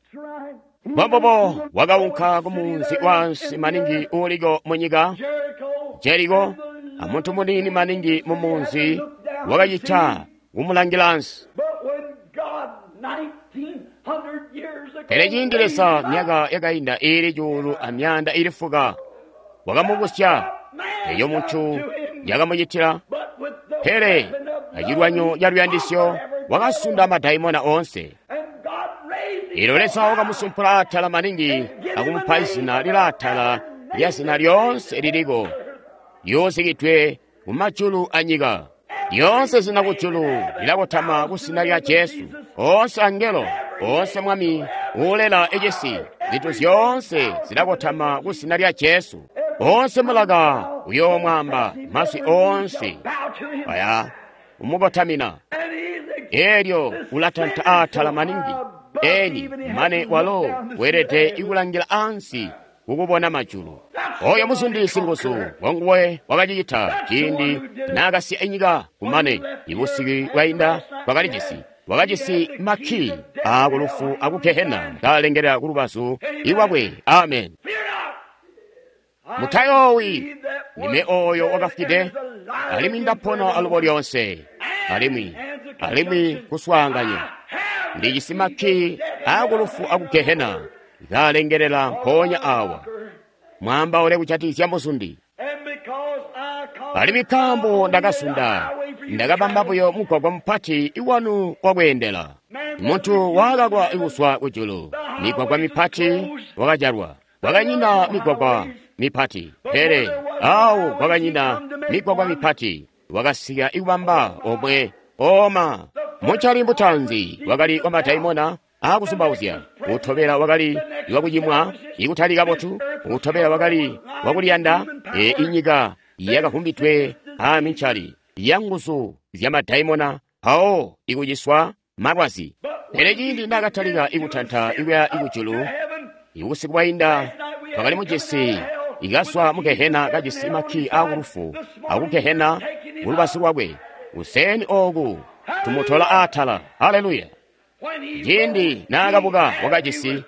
Mbombubo wakaunka kumunzi waansi maningi uuliko munyika, Jeriko, amuntu muniini maningi mumunzi wakacita kumulangila ansi. Pele ciindi Leza myaka yakainda iili cuulu amyaanda iili fuka wakamubusya, eyo muntu yakamucitila. Pele acilwanyo ca luyandisyo wakasunda madaimona oonse. Elyo Leza wakamusumpula atala maningi akumupa izina lilaatala lya zina lyoonse liliko lyuuzikidwe mumajulu anyika. Lyoonse zina kujulu lilakotama ku zina lya Jesu. Oonse angelo, oonse mwami uulela ecisi, zintu zyoonse zilakotama ku zina lya Jesu. Oonse mulaka uyoomwaamba, mazwi oonse aya umukotamina. Elyo ulatanta atala maningi eni mane walo weelede ikulangila ansi kukubona majulu. Oyo muzundi singuzu wanguwe wakacicita ciindi naakasiya inyika kumane ibusiku bwainda twakalijisi wakajisi makki aakulufu aku Gehena kaalengelela kulubazu iwakwe. Amen. Mutayoowi, ndime oyo wakafwide alimwi ndapona alubo lyonse, alimwi alimwi kuswaanganya ndijisi makki aakulufu aku Gehena kaalengelela mpoonya awa. Mwaambaule kujatikizya muzundi. Alimwi nkaambo ndakasunda, ndakabamba buyo mugwagwa mupati iwanu wakweendela. Muntu wakakwa ikuswa kujulu, migwagwa mipati wakajalwa. Kwakanyina migwagwa mipati, pele awo kwakanyina migwagwa mipati wakasika ikubamba omwe oma. Muncali mutanzi wakali wa madaimona aakuzumbauzya, utobela wakali wakucimwa ikutali kabotu, utobela wakali wakuliyanda. E inyika yakavumbidwe amincali yanguzu zya madaimona mpawo ikuciswa malwazi. Pele ciindi naakatalika ikutanta ikuya ikujulu, ibusiku bwainda twakali mujisi ikaswa mu Gehena kajisi makki aakulufu aku Gehena kulubazu lwakwe. Kuseeni ooku tumutola aatala. Haleluya! Ciindi naakabuka wakajisi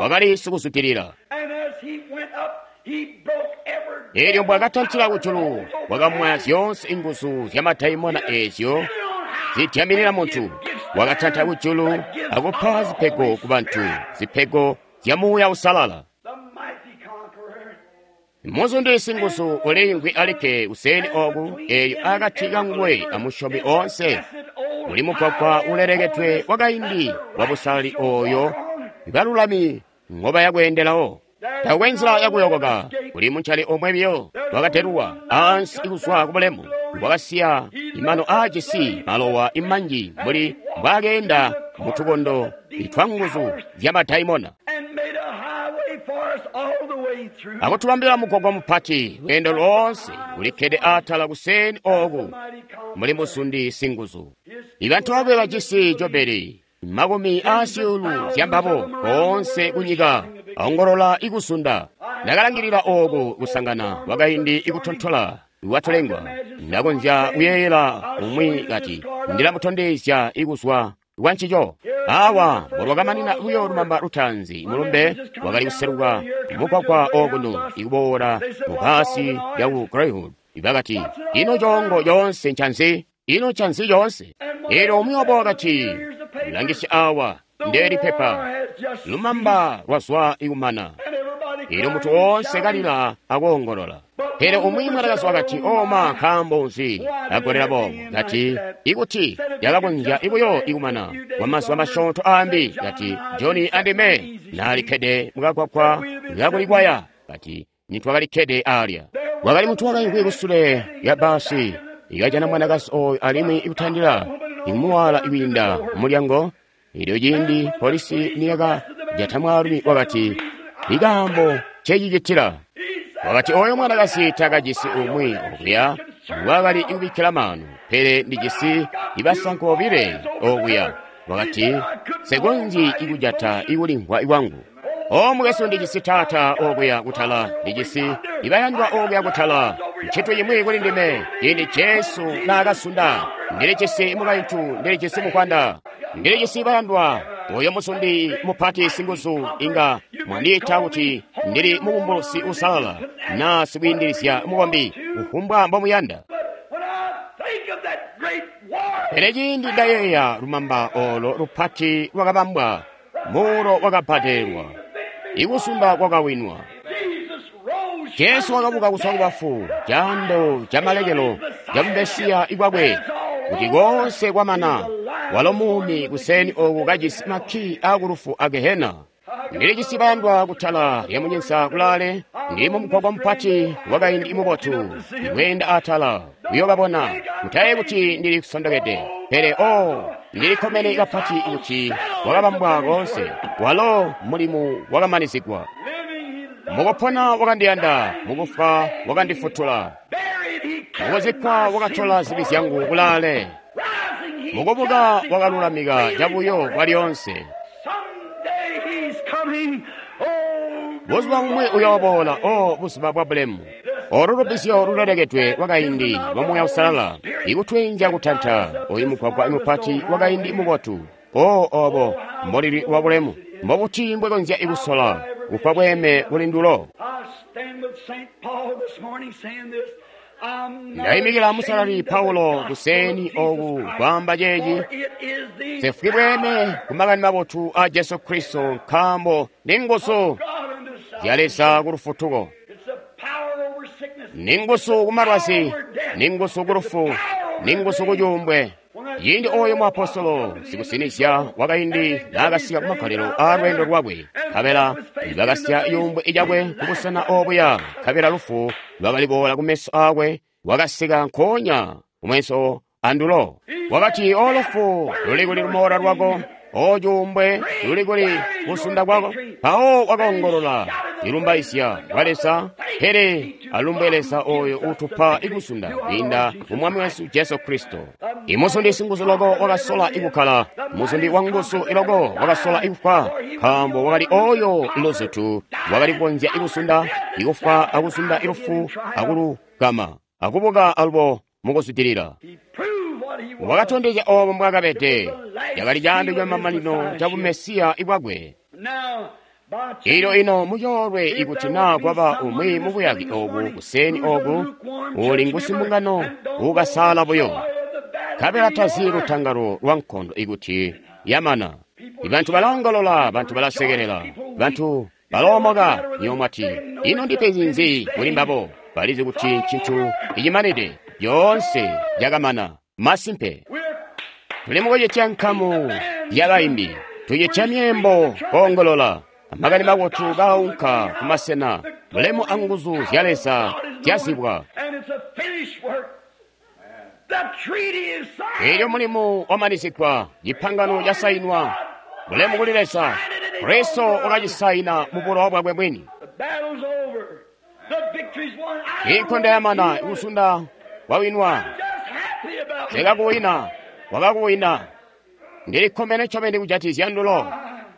wakali sikuzwidilila. Elyo mbwakatantila kujulu, wakamwaya zyoonse inguzu zya madaimona eezyo zidyaminina muntu. Wakatanta kujulu akupa zipego ku bantu, zipego zya Muuya Uusalala. Muzundi singuzu uliimvwi alikke kuseeni oku, eelyo akati kanguwe amusyomi oonse muli mugwagwa ulelekedwe wakaindi wa busalali ooyo balulami ngobaya kweendelawo. Taakwe nzila yakuyokoka, kuli muncali omwe biyo wakadelulwa ansi kuzwa kubulemu, wakasiya imano aajisi malowa imanji mbuli mbwaakeenda mutukondo twanguzu zya madaimona, akutubambila mugwagwa mupati lweendo loonse ulikkede atala kuseeni ooku muli muzundi singuzu. Ibantu bakwe bajisi jobeli makumi aasyuulu zyambabo koonse kunyika aongolola ikusunda. Ndakalangilila ooku kusangana kwakaindi ikutontola kwatulengwa. Ndakonzya kuyeeyela umwi kati ndilamutondezya ikuzwa kwancico. Awa mbolwakamanina buyo lumamba lutaanzi, mulumbe wakali kuseluka mugwagwa okuno ikuboola mu bbaasi lyaku Greyhound. Bakati, ino coongo coonse ncanzi? Ino ncanzi coonse? Eelyo umwi wabo wakati, langisya awa, ndeeli pepa, lumamba lwazwa ikumana. Eelyo muntu woonse kalila akoongolola. Pele umwi mwanakazi wakati, oma, nkaambo nzi agolela boobo? Kati, ikuti yakakonzya ibuyo ikumana kwa mazuba masyoonto aambi. Kati, Johnny andime naalikkede mukagwagwa kakulikwaya. Kati, nitwakalikkede aalya. Wakali muntu wakaimvwi kusule lya bbaasi, ikajana mwanakazi ooyo alimwi ikutandila imuwala ikwiinda mulyango. Elyo ciindi polisi niyakajata mwaalumi wakati, ikaambo ncecicitila. Wakati oyo mwanakazi takajisi umwi okuya wakali kubikkila maanu, pele ndijisi ibasanko bobile okuya. Wakati, nsekonzyi ikujata ikulimvwa kwangu. O mukwesu, ndijisi taata okuya kutala, ndijisi ibayandwa okuya kutala. Nchintu cimwi kuli ndime, ciindi Jesu naakasunda, ndilijisi mukaintu, ndilijisi mukwanda, ndilijisi bayandwa. Oyo muzundi mupati singuzu inga mwandiita kuti ndili mubumbulusi usalala na sikwiindilizya mukombi, kufumbwa mbomuyanda. Pele ciindi ndayeeya lumamba olo lupati lwakabambwa, muulo wakabbadelwa, ikusunda kwakawinwa. Jesu wakabuka kuzwa kubafu, caando camalekelo ca Mesiya ikwakwe, kuti koonse kwamana. Walo muumi kuseeni oku kajisi makii akulufu a Gehena. Ndilijisi bayandwa kutala lya munyinza kulaale, ndili mumugwagwa mupati wakaindi mubotu, ndikweenda atala kuyokabona. Mutaye kuti ndili kusondokede, pele o ndilikkomene kapati kuti wakabambwa koonse. Walo mulimu wakamanizigwa. Mukupona wakandiyanda, mukufwa wakandifutula, mukuzikkwa wakatola zibi zyangu kulaale, mukubuka wakalulamika cabuyo kwalyoonse. Buzuba bumwi uyooboola, o buzuba bwa bulemu. Olu lubbizyo lulelekedwe lwakaindi lwa Muuya Uusalala ikutweenzya kutanta oyu mugwagwa mupati wakaindi mubotu. O obo mbolili lwa bulemu! Mbobuti mbwekonzya ikusola kufa bweeme kuli ndulo? Ndayimikila Musalali Paulo kuseeni oku kwaamba ceeci, sefwi bweeme ku makani mabotu a Jesu Kristo, nkaambo ni nguzu zya Leza ku lufutuko, ni nguzu ku malwazi, ni nguzu ku lufu, ni nguzu ku cuumbwe. Ciindi oyo muapostolo sikusinizya wakaindi naakasika kumagalelo aa lweendo lwakwe, nkabela bakasya cuumbwe cakwe kubusena obuya, nkabela lufu lwakaliboola kumeso aakwe, wakasika nkoonya kumeso andulo. Wakati, o lufu, luli kuli lumoola lwako? O cuumbwe, luli kuli kusunda kwako? Mpawo wakaongolola ilumbaizya kwa Leza, pele alumbwe Leza oyo utupa ikusunda kwiinda mu Mwami wesu Jesu Kristo. Imuzundi singuzu loko wakasola ikukkala, muzundi wanguzu iloko wakasola ikufwa, nkaambo wakali oyo luzutu wakali kukonzya ikusunda, ikufwa akusunda ilufu akulugama akubuka alubo mukuzwidilila. Wakatondezya obo mbwakabede, cakali caando camamanino ca Bumesiya bwakwe. Elyo ino mucoolwe ikuti naa kwaba umwi mubuyaki obu kuseeni oku uli ngusimbungano ukasaala buyo nkabela tazi lutangalo lwa nkondo ikuti yamana. Bantu balaongolola, bantu balasekelela, bantu baloomoka. Nywebo mwati, ino ndipenzi nzi kuli mbabo? Balizi kuti ncintu icimanide, yoonse yakamana. Masimpe, tuli mukucitya nkamu yabaimbi, tucitya myeembo koongolola, amakani mabotu kaunka kumasena, bulemu anguzu zya Leza zyazibwa. Elyo mulimu wamanisigwa, cipangano casainwa, bulemu kuli Leza. Kristo wakacisaina mu bulowa bwakwe mwini. Inkondo yamana, kusunda kwawinwa. Sekakuwina, wakakuwina. Ndilikkomene ncobeni kujatizya ndulo.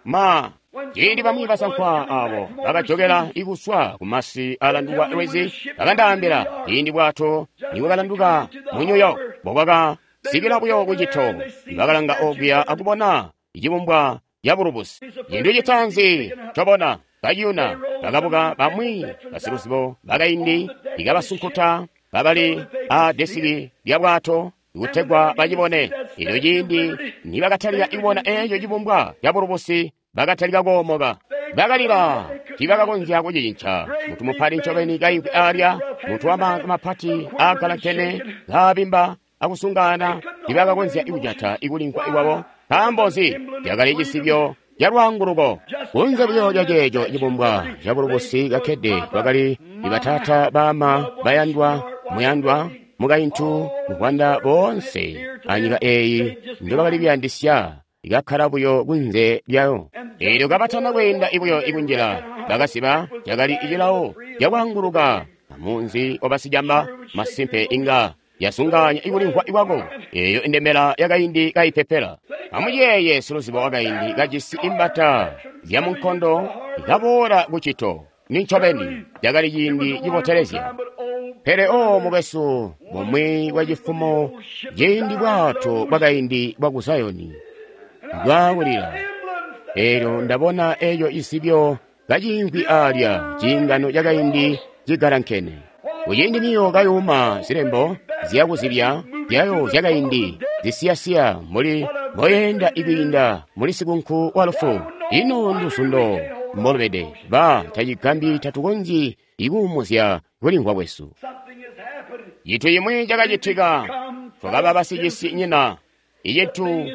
Ma ciindi bamwi basankwa abo bakajokela ikuswa kumasi alanduka lwezi bakandaambila ciindi bwato nibwakalanduka mu New York bobwakasikila buyo kucito bakalanga okuya akubona icibumbwa cabulubusi. Cintu citaanzi cobona kaciyuna bakabuka bamwi basiluzibo bakaindi ikabasunkuta babali a desiki lya bwato kutegwa bacibone. Elyo ciindi nibakatalika kubona eco cibumbwa cabulubusi bakatalika koomoka, bakalila. Tiibakakonzya kucicinca. Muntu mupati ncobeni kaimvwi alya, muntu wamaanza mapati aagalankene kaabimba akusungana, tiibakakonzya kujata ikulimvwa kwabo. Nkaambo nzi? Cakali cisibyo calwaanguluko. Kunze buyo lya ceeco cibumbwa cabulubusi kakkede kwakali bataata, baama, bayandwa, muyandwa, mukaintu, muvwanda boonse anyika eeyi ndobakali kuyandisya ikakkala buyo kunze lyayo. Eelyo kabatana kweenda buyo ikunjila, bakasiba cakali cilawo cakwaanguluka amunzi wabasicamba. Masimpe inga yasunganya ikulimvwa kwako eeyo indembela yakaindi kaipepela. Amuyeeye siluzibo wakaindi kajisi imbata zyamunkondo ikaboola kucito. Nincobeni cakali ciindi cibotelezya. Pele o mukwesu, bumwi bwa cifumo ciindi bwato bwakaindi bwa ku Zayoni bwakulila, eelyo ndabona eco cisibyo kaciimvwi alya, ciingano cakaindi cigalankene. Kuciindi niyo kayuma zilembo zyakuzibya zyayo zyakaindi zisiyasiya mbuli mboyenda ikwiinda muli sikunku wa lufu. Ino nduzundo mbolubede ba tacigambi tatukonzyi ikuumuzya kulimvwa kwesu. Cintu cimwi cakacitika, twakaba basicisi nyina. Icintu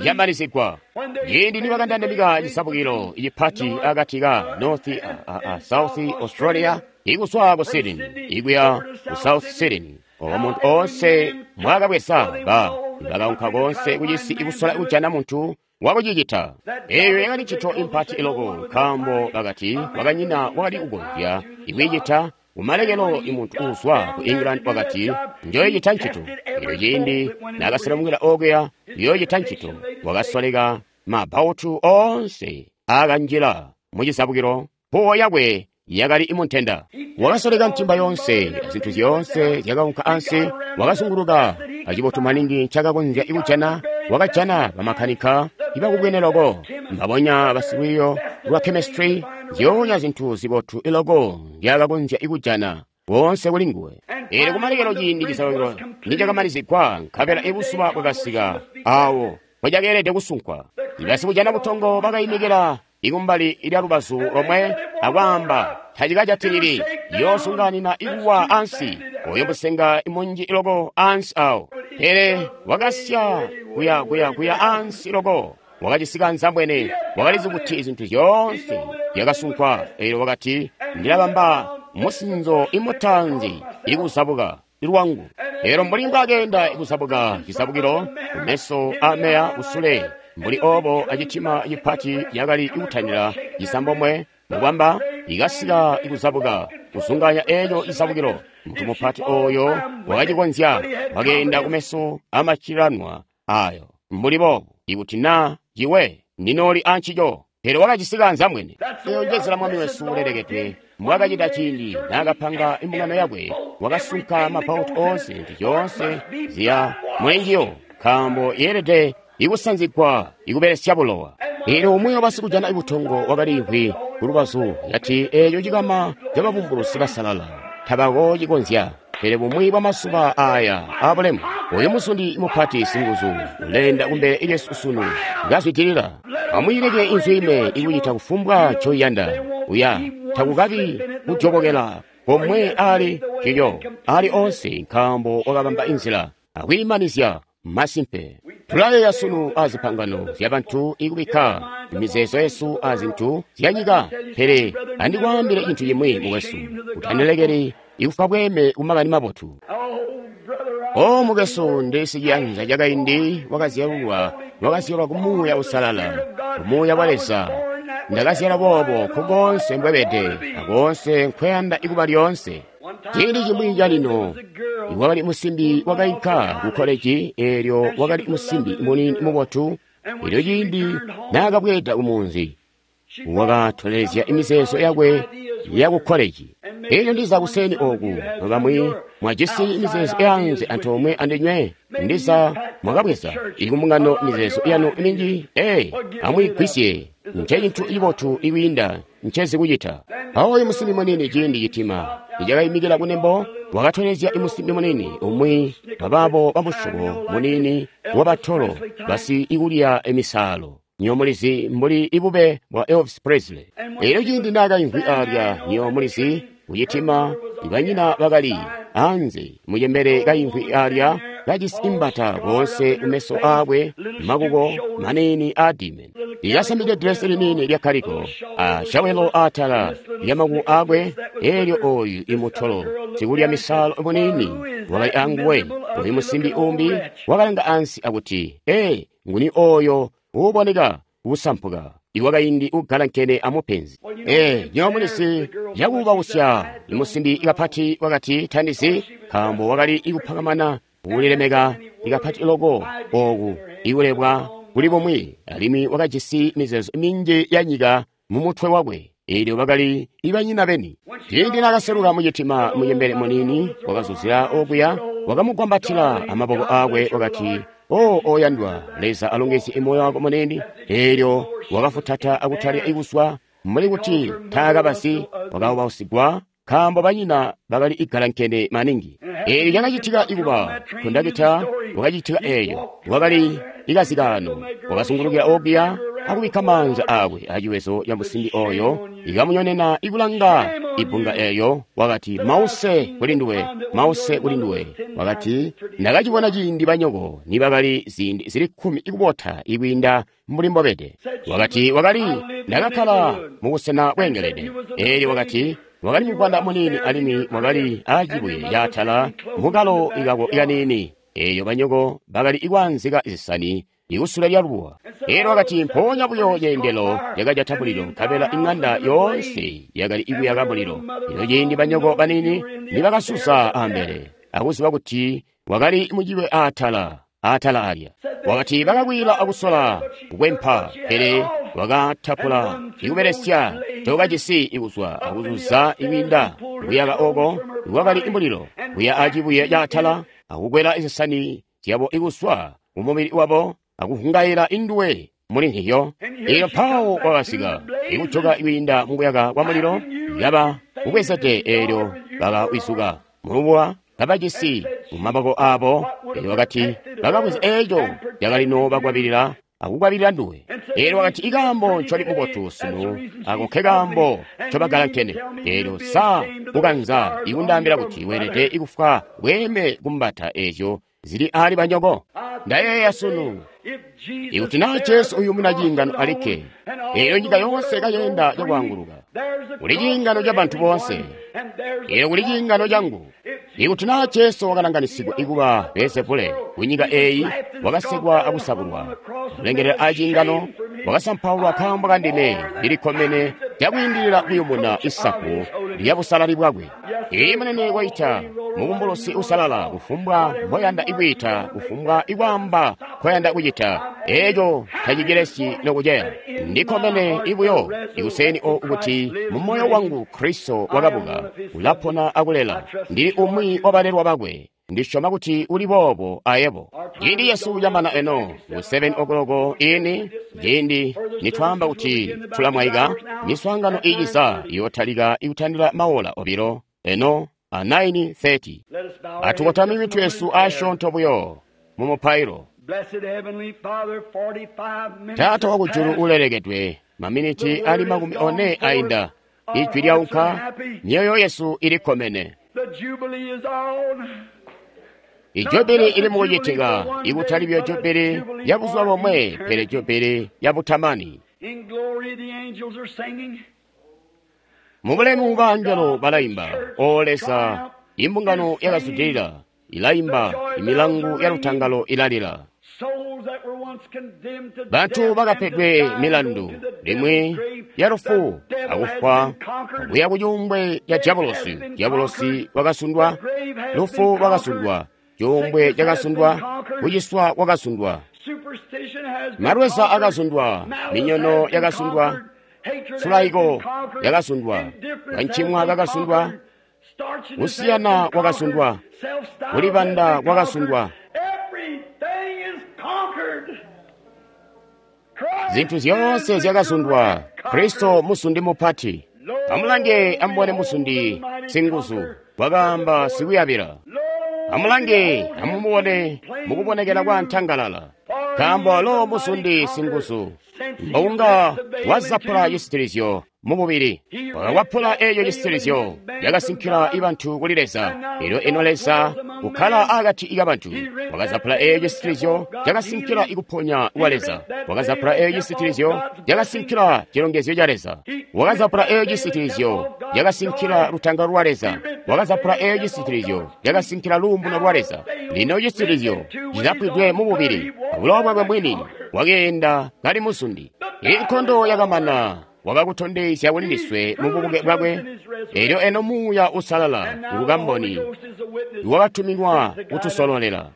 camanisigwa. Ciindi nibakandandamika cisabukilo icipati akati ka North a, a, South Australia ikuswa ku Sydney ikuya ku South Sydney, obo muntu oonse mwakabweza ba bakaunka konse kucisi ikusola kujana muntu wakucicita. Eyo yakali ncito impati iloko, nkaambo bakati wakanyina wakali kukonzya ikwiicita. Kumalekelo imuntu uuzwa ku England wakati njoyicita ncito. Elyo ciindi nakaselemukila okuya kuyoocita ncito, wakasoleka mabautu oonse aakanjila mucisabukilo. Mpuwo yakwe yakali imuntenda. Wakasoleka ntimba yoonse azintu zyoonse zyakaunka ansi. Wakazunguluka acibotu maningi ncakakonzya kujana. Wakajana bamakanika ibakubwene loko, mbabonya basilwiiyo lwa chemistry, zyoonya zintu zibotu iloko ndyakakonzya kujana boonse kuli nguwe. Eelyo kumalekelo ciindi cisabukilo nicakamanizigwa, nkabela ibuzuba bwakasika awo mpocakeelede kusunkwa. Basikujana butongo bakaimikila ikumbali lya lubazu lomwe akwaamba, tacikajatilili, yoosunganina ikuwa ansi, oyo musenga munji loko ansi awo. Pele wakasya kuya kuya kuya ansi loko, wakacisika nzambwene, wakalizi kuti zintu zyoonse zyakasunkwa. Eelyo wakati, ndilabamba musinzo imutanzi ikuzabuka lwangu. Eelyo mbuli mbwakeenda ikuzabuka cisabukilo kumeso ameya kusule, mbuli obo acitima cipati yakali ikutanila cisambomwe mukwamba ikasika ikuzabuka kusunganya eco cisabukilo. Muntu mupati oyo wakacikonzya, wakeenda kumeso amacilanwa ayo mbuli boobu, ikuti naa ciwe ndinooli ancico. Pele wakacisika nzamwene. Eyo njenzela Mwami wesu ulelekedwe mbwakacita ciindi naakapanga imbungano yakwe. Wakasunka mabautu oonse, zintu zyoonse ziya mulinjiyo, nkaambo yeelede ikusanzigwa ikubelesya bulowa. Eelyo umwi wabasikujana butongo wakaliimvwi kulubazu, yati eeco cikama cababumbulusi basalala tabako cikonzya. Pele bumwi bwa mazuba aya abulemu, oyu muzundi mupati singuzu uleenda kumbele lyesu sunu kazwidilila. Amwiileke inzwime ikucita kufumbwa ncoiyanda. Uya takukabi kujobokela komwe ali cilyo ali onse, nkaambo wakabamba inzila akwiimanizya. Masimpe tulayeeya sunu azipangano zyabantu ikubikka mizeezo yesu azintu zyanyika. Pele andikwaambile cintu cimwi mukwesu, utanilekeli ikufa bweeme kumakani mabotu. O mukwesu, ndi siciyanza cakaindi wakazyalwa wakazyalwa ku Muuya Uusalala, ku Muuya wa Leza. Ndakazyalwa boobo nkukoonse mbwebede akoonse nkweyanda ikuba lyoonse. Ciindi cimwi calino wakali musimbi wakainka ku koleji, eelyo wakali musimbi muniini mubotu. Elyo ciindi naakabweeda kumunzi, wakatolelezya imizeezo yakwe ya ku koleji. Elyo ndiza kuseni oku bamwi mwajisi mizeezo yanze antoomwe andinywe, ndiza mwakabweza ikumbungano mizeezo yanu minji. Ee, amwiigwisye, nce cintu cibotu ikwiinda ncezi kucita. Aoyu musimbi munini ciindi citima icakayimikila kunembo, wakatolezya imusimbi munini umwi wabaabo bamusyobo munini wabatolo basi ikulya emisaalo. Nyo mulizi mbuli ibube bwa Elvis Presley. Elyo ciindi naakaimvwi alya, nyo mulizi kucitima, ibanyina bakali anze mucembele kaimvwi alya kajisi imbata koonse kumeso aakwe, makuko maniini aadime, ikasamide dresi liniini lya kaliko a shawelo aatala lya makuko aakwe. Elyo oyu imutolo sikulya misaalo muniini wakali anguwe. Oyu musimbi umbi wakalanga ansi akuti, ee, nguni oyo uuboneka kusampuka iwakaindi ugalankene amupenzi? Ee, nyo mulisi cakuubausya imusimbi kapati wakati tandizi, nkaambo wakali ikupakamana kulilemeka ikapati loko oku ikulebwa kuli bumwi, alimwi wakajisi mizeezo minji ya nyika mu mutwe wakwe. Elyo bakali ibanyina beni. Ciindi naakaseluka mucitima, mucembele muniini wakazuzila okuya, wakamugwambatila amaboko aakwe, wakati, O oyandwa, Leza alongezye moyo wako munene. Elyo wakafutata akutalya ikuswa mbuli kuti taakabasi, wakaubasigwa nkaambo banyina bakali igalankene maningi. Elyo lyakacitika ikuba kondakita wakacitika eyo wakali ikazikaano, wakazungulukila okuya akubikka maanza aakwe aciwezo ca musimbi oyo, ikamunyonena ikulanga ibbunga eyo. Wakati, mause kuli nduwe, mause kuli nduwe. Wakati, ndakacibona ciindi banyoko nibakali ziindi zili kkumi ikubota ikwiinda mbuli mbobede. Wakati, wakali ndakakkala mubusena bweengelede. Elyo wakati, wakali muvwanda muniini alimwi wakali acibuye caatala mukalo ikako ikaniini. Eyo banyoko bakali ikwaanzika zisani ikusule lya lubuwa. Elyo wakati, mpoonya buyo ceendelo lyakajata mulilo, nkabela iŋanda yoonse yakali ikuyaka mulilo. Ino ciindi banyoko banini nibakasusa ambele akuziba kuti wakali muciwe aatala aatala alya. Wakati bakakwila akusola kukwempa, pele wakatapula ikubelesya cokajisi ikuzwa akuzuza ikwiinda kuyaka oko iwakali mulilo, kuya acibuye caatala akukwela zisani zyabo ikuswa kumubili wabo akuhungaila induwe muli nhiyo. Elyo mpawo wakasika ikujoka ikwiinda mukuyaka kwa mulilo, yaba ubwezede. Elyo bakawizuka mulubuwa kabajisi mumaboko aabo. Elyo wakati bakabweza eco cakalino bakwabilila akukwabilila nduwe. Elyo wakati, ikaambo ncoli mubotu sunu ako nkekaambo ncobagalankene. Elyo sa ukanza ikundaambila kuti weelede ikufwa bweeme kumbata ezyo zili ali banyoko? Ndayeeya sunu, ikuti naa Jesu uyumuna ciingano alikke, elyo nyika yoonse kayenda cakwaanguluka. Kuli ciingano ca bantu boonse, elyo kuli ciingano cangu. Ikuti naa Jesu wakalanganisigwa ikuba Beelzebule kunyika eeyi, wakasekwa akusabulwa, kulengelela aciingano, wakasampaulwa nkaambo kandime, ndilikkomene cakwiindilila kuyumuna isaku lya busalali bwakwe. Ee, munene waita mubumbulusi usalala, kufumbwa mboyanda ikwiita, kufumbwa ikwaamba nkoyanda kucita, eco tacicilesyi nokuceya. Ndikkomene ibuyo ikuseni oku kuti mu moyo wangu Kristo wakabuka, ulapona akulela. Ndili umwi wabalelwa bakwe. Ndi syoma kuti uli boobo ayebo. Ciindi cesu camana eno, ku seven o'clock ini, ciindi nitwaamba kuti tulamwaika, miswaangano iiciza iyotalika ikutandila maola obilo, eno a nine thirty. Atukotame mitwe yesu asyoonto buyo mu mupailo. Taata wa kujulu ulelekedwe, maminiti ali makumi one ainda. Ijwi lyaunka, myoyo yesu ilikkomene. Ijubili ili mukucitika, ikutali byo jubili ya buzuba bomwe, pele jubili ya butamani. Mubulemu bangelo balaimba, O Leza, imbungano yakazwidilila ilaimba, imilangu ya lutangalo ilalila. Bantu bakapedwe milandu limwi ya lufu akufwa kuya ku cuumbwe ca diabolosi. Diabolosi wakasundwa, lufu lwakasundwa, cuumbwe cakasundwa, kuciswa kwakasundwa, malweza akasundwa, minyono yakasundwa, sulaiko yakasundwa, kancimwa kakasundwa, kusiyana kwakasundwa, kulibanda kwakasundwa. Zintu zyoonse zyakasundwa. Kristo musundi mupati. Amulange amubone musundi singuzu, wakaamba sikuyabila. Amulange amumubone mukubonekela kwa ntangalala, nkaambo alo musundi singuzu mbokunga wazapula cisitilizyo mububili. Wakakwapula eeco cisitilizyo yakasinkila ibantu kuli Leza. Elyo eno Leza kukkala akati kabantu wakazapula eeco cisitilizyo cakasinkila ikuponya kwa Leza. Wakazapula eeco cisitilizyo cakasinkila cilongezyo ca Leza. Wakazapula eeco cisitilizyo cakasinkila lutangalo lwa Leza. Wakazapula eeco cisitilizyo cakasinkila luumuno lwa Leza. Lino cisitilizyo cizapwidwe mububili, abulowa bwakwe mwini wakeenda kali musundi. Inkondo yakamana, wakakutondezya kuli ndiswe mu bubuke bwakwe. Elyo eno Muuya Usalala ngukamboni wakatuminwa kutusololela.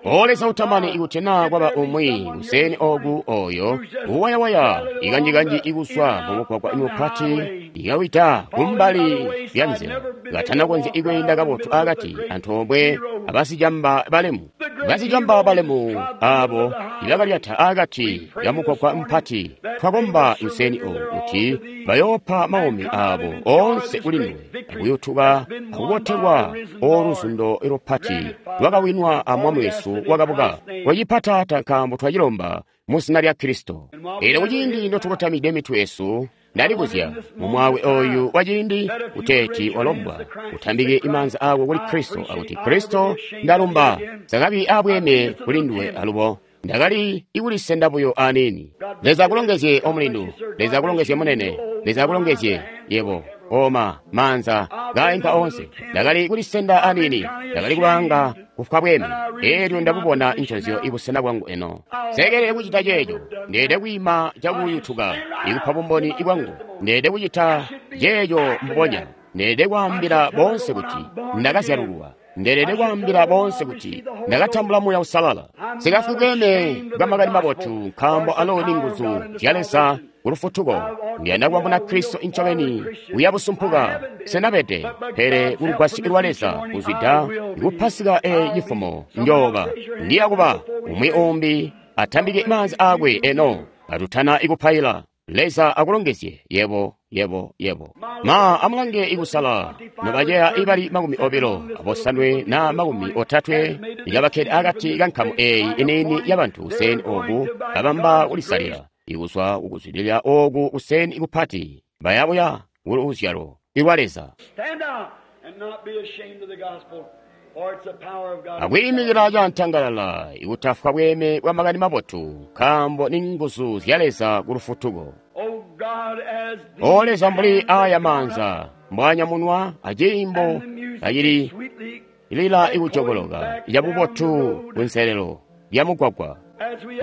O Leza utamani, ikuti naa kwaba umwi kuseni oku oyo uwayawaya ikanjikanji ikuswa mumugwagwa mupati ikawita kumbali lya nzila katanakonzya ikweenda kabotu akati antoomwe abasicamba balemu. Basicamba balemu abo ibakalyata akati kamugwagwa mpati, twakomba kuseni oku kuti bayoopa maumi abo oonse kuli nduwe, akuyutuka akubotelwa oluzundo lupati lwakawinwa a Mwami wesu wakabuka. Twacipata Taata, nkaambo twacilomba mu zina lya Kristo. Elyo kuciindi notukotamide mitwe yesu, ndalibuzya mumwawe oyu waciindi kuteeti walombwa utambike imaanza ako kuli Kristo akuti, Kristo, ndalumba sakabi abweeme kuli nduwe alubo ndakali ikulisenda buyo aniini. Leza akulongezye omulindu, Leza akulongezye munene, Leza akulongezye yebo oma maanza gainka onse. Ndakali kulisenda aniini, ndakali kulanga kufwa bweme. Elyo ndabubona inconzyo ibusena bwangu eno. Sekelele kucita ceeco, ndeede kwiima cakuyutuka ikupa bumboni bwangu. Ndeede kucita ceeco mbubonya. Ndeede kwaambila boonse kuti ndakazyalulwa. Ndeelede kwaambila boonse kuti ndakatambula Muuya Usalala. Sikafwi bweeme bwa makani mabotu, nkaambo alo ni nguzu zya Leza kulufutuko. Ndiyanda kuba muna Kristo incobeni uya busumpuka senabede, pele kulugwasyo lwa Leza kuzwida kupasika e cifumo njooba ndiya kuba umwi umbi atambike maanza akwe eno atutana ikupaila. Leza akulongezye yebo yebo yebo. Ma amulange ikusala nobaceya ibali makumi obilo abosanwe na makumi otatwe ikabakkede akati kankamu eyi iniini yabantu kuseni oku babamba kulisalila ikuzwa kukuzwidilila oku kuseni ikupati bayabuya kuluzyalo ilwa Leza. Akwiimikila cantangalala ikutafwa bweeme bwa makani mabotu, nkaambo ni nguzu zya Leza kulufutuko. O Leza, mbuli aya maanza mbwanyamunwa aciimbo acili lila ikujokoloka cabubotu kunselelo lya mugwagwa,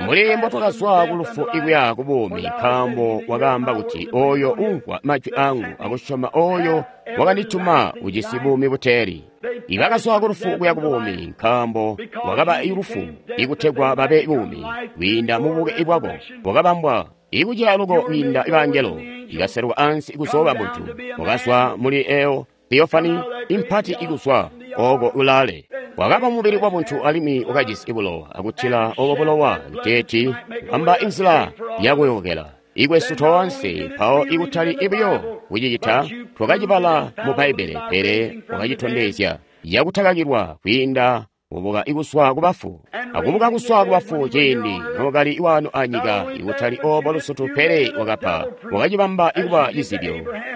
mbuli mbotwakazwa kulufu ikuya kubuumi, nkaambo wakaamba kuti oyo umvwa majwi angu akusyoma oyo wakandituma ujisi buumi buteeli. Ibakazwa kulufu kuya kubuumi, nkaambo wakaba ilufu ikutegwa babe buumi kwiinda mububuke bwako bwakabambwa ikucila luko kwiinda bangelo ikaseluka ansi ikuzooba muntu. Wakazwa muli eyo theofani impati ikuzwa oko ulale. Wakaba mubili wabuntu alimwi wakajisi bulowa, akutila obo bulowa kuteeti kubamba inzila yakuyokela ikwesu toonse. Mpawo ikutali ibuyo kucicita, twakacibala mu Bbaibbele, pele wakacitondezya yakutakakilwa kwiinda kubuka ikuswa kubafu, akubuka kuswa kubafu ciindi nookali wano anyika, ikutali obo lusutu, pele wakapa wakacibamba ikuba cizibyo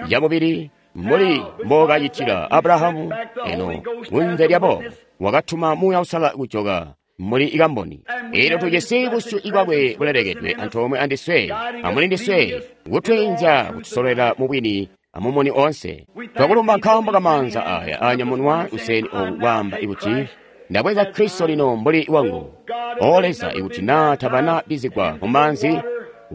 camubili mbuli mbookacitila Abrahamu. Eno kunze lyabo wakatuma Muuya Uusalala kujoka muli ikamboni. Elyo tujisi busyu ibwakwe bulelekedwe antoomwe andiswe amuli ndiswe, kutwiinzya kutusolwela mubwini amumuni onse. Twakulumba nkaambo kamaanza aya anyamunwa kuseni oku kwaamba ikuti ndabweza Kristo lino mbuli wangu. O Leza, ikuti naa tabana bizigwa mumaanzi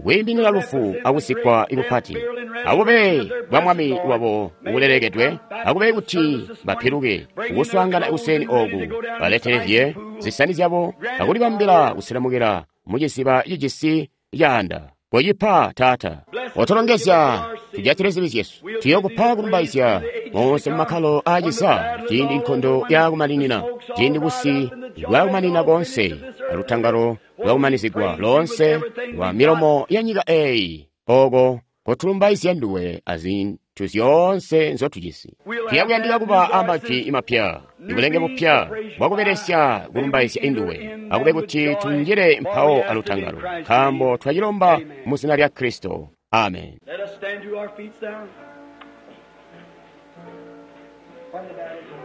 kwiiminina lufu akusikwa ikupati, akube bwa Mwami wabo bulelekedwe, akube kuti bapiluke kukuswaangana kuseni oku, baletelezye zisani zyabo akulibambila kuselemukila muciziba cijisi caanda. Kocipa, Taata. Otolongezya, tujatile zibi zyesu. Tuyokupa kulumbaizya monse mumakkalo aacisa, ciindi nkondo yakumaninina, ciindi busi bwakumanina konse, alutangalo lwakumanizigwa lonse lwa milomo ya nyika eeyi, oko kotulumbaizya nduwe azintu zyoonse nzotujisi. Tuyakuyandika kuba amajwi mapya, ibulenge bupya bwakubelesya kulumbaizya induwe, akube kuti tunjile mpawo alutangalo, nkaambo twacilomba mu zina lya Kristo. Amen. Let us stand to our feet now. From the battle.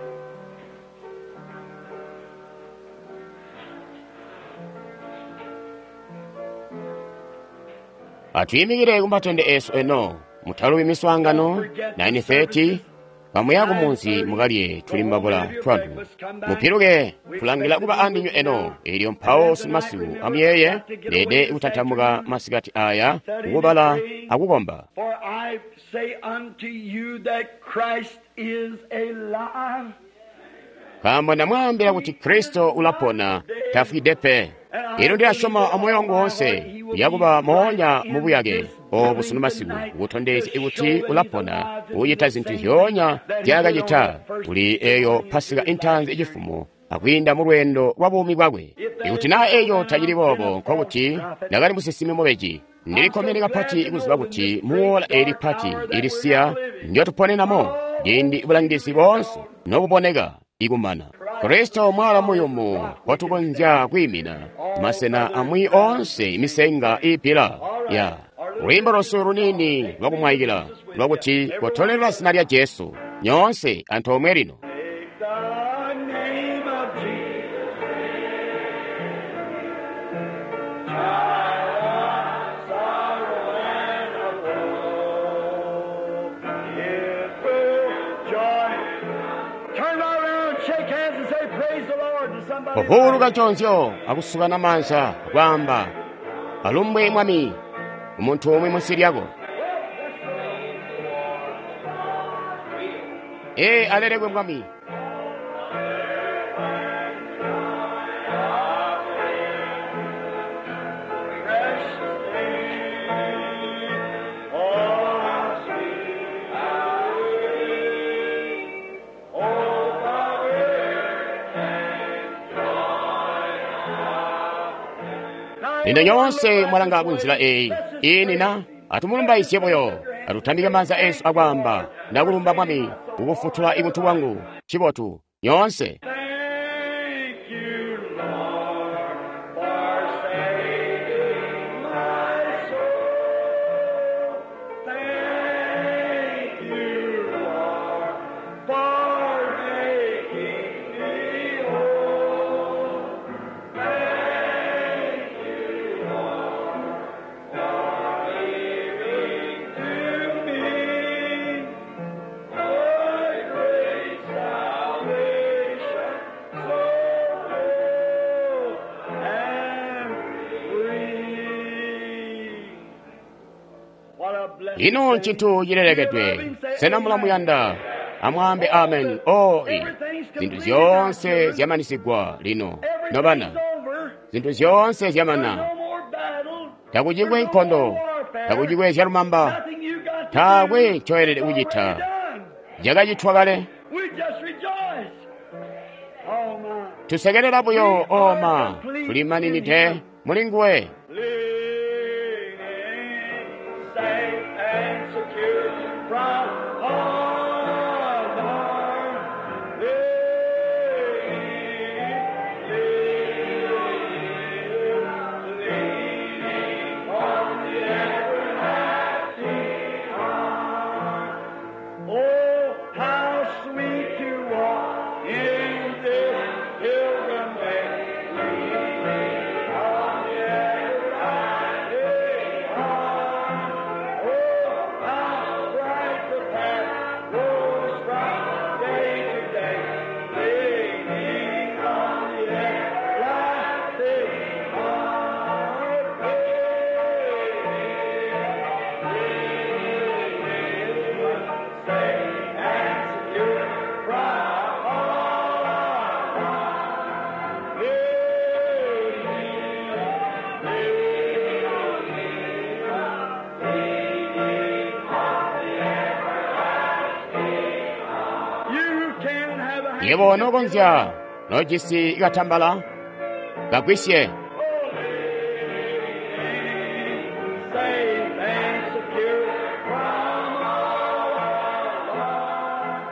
Atuyimikire kumatende esu eno mutaluwi miswaangano nine thirty kamuya kumunzi mukalye tuli mbabula twanu mupiluke tulangila kuba andinywe eno. Elyo mpawo simasiku amuyeye lede kutantamuka masikati aya kukubala akukomba. For I say unto you that Christ is alive. Nkaambo ndamwaambila kuti Kristo ulapona, tafwide pe. Elo ndilasyoma amoyo wangu wonse uyakuba moonya mubuyake obu sunu masiku, kutondezya kuti ulapona, kucita zintu zyoonya zyakacita kuli eyo Pasika intanzi icifumo akwiinda mu lweendo lwa buumi bwakwe. Ikuti naa eco tacili boobo, nkokuti ndakali musinsimi mubeji. Ndilikkomene kapati kuziba kuti muwola eli pati ilisiya ndyotuponenamo, ciindi bulangizi boonse nobuboneka ikumana, Kristo mwala muyumu kotukonzya kwiimina masena amwi onse imisenga iipila ya lwiimbo lwesu lunini lwakumwayikila lwakuti kotolelela zina lya Jesu nyoonse antoomwe lino. Take the name of Jesus. Child of sorrow and of woe, it will joy. Turn right around, shake hands and say, Praise the Lord to somebody. Kuhuluka chonzyo akusukana manza kwamba alumbwe mwami umuntu omwe munsi lyako. Ee alelekwe mwami. Precious name, oh, sweet oh, Lino nyoonse mwalanga kunzila eyi ini na atumulumbaizye buyo, atutambike manza esu akwamba ndakulumba mwami kukufutula ibuntu bwangu chibotu nyoonse. Thank you, Lord, for saving my soul. Thank you, Lord, for making me whole. Thank you, Lord, for giving to me thy great salvation, so full and free. What a blessed Ino nchintu chilelekedwe sena mulamuyanda amwambe amen. O i zinthu zyonse zyamanisigwa lino nobana, over. zinthu zyonse zyamana, No more battle. takuchikwe nkhondo, takuchikwe zyalumamba, Nothing you got to taakwe do. choyelere It's kuchita. already done. Chakachitwa kale. We just rejoice. Oh my. Tusekelela buyo oma tulimaninide muli nguwe. Leaning, safe and secure from all harm. Leaning, leaning, leaning on the everlasting arm. Oh, how sweet to walk in this pilgrim way, leaning on the everlasting arm. Oh, how bright the path grows from day to day, leaning on the everlasting arm. Safe and secure from all harm. You can have a Yebo nokonzya nojisi katambala kagwisye. Safe and secure from all harm.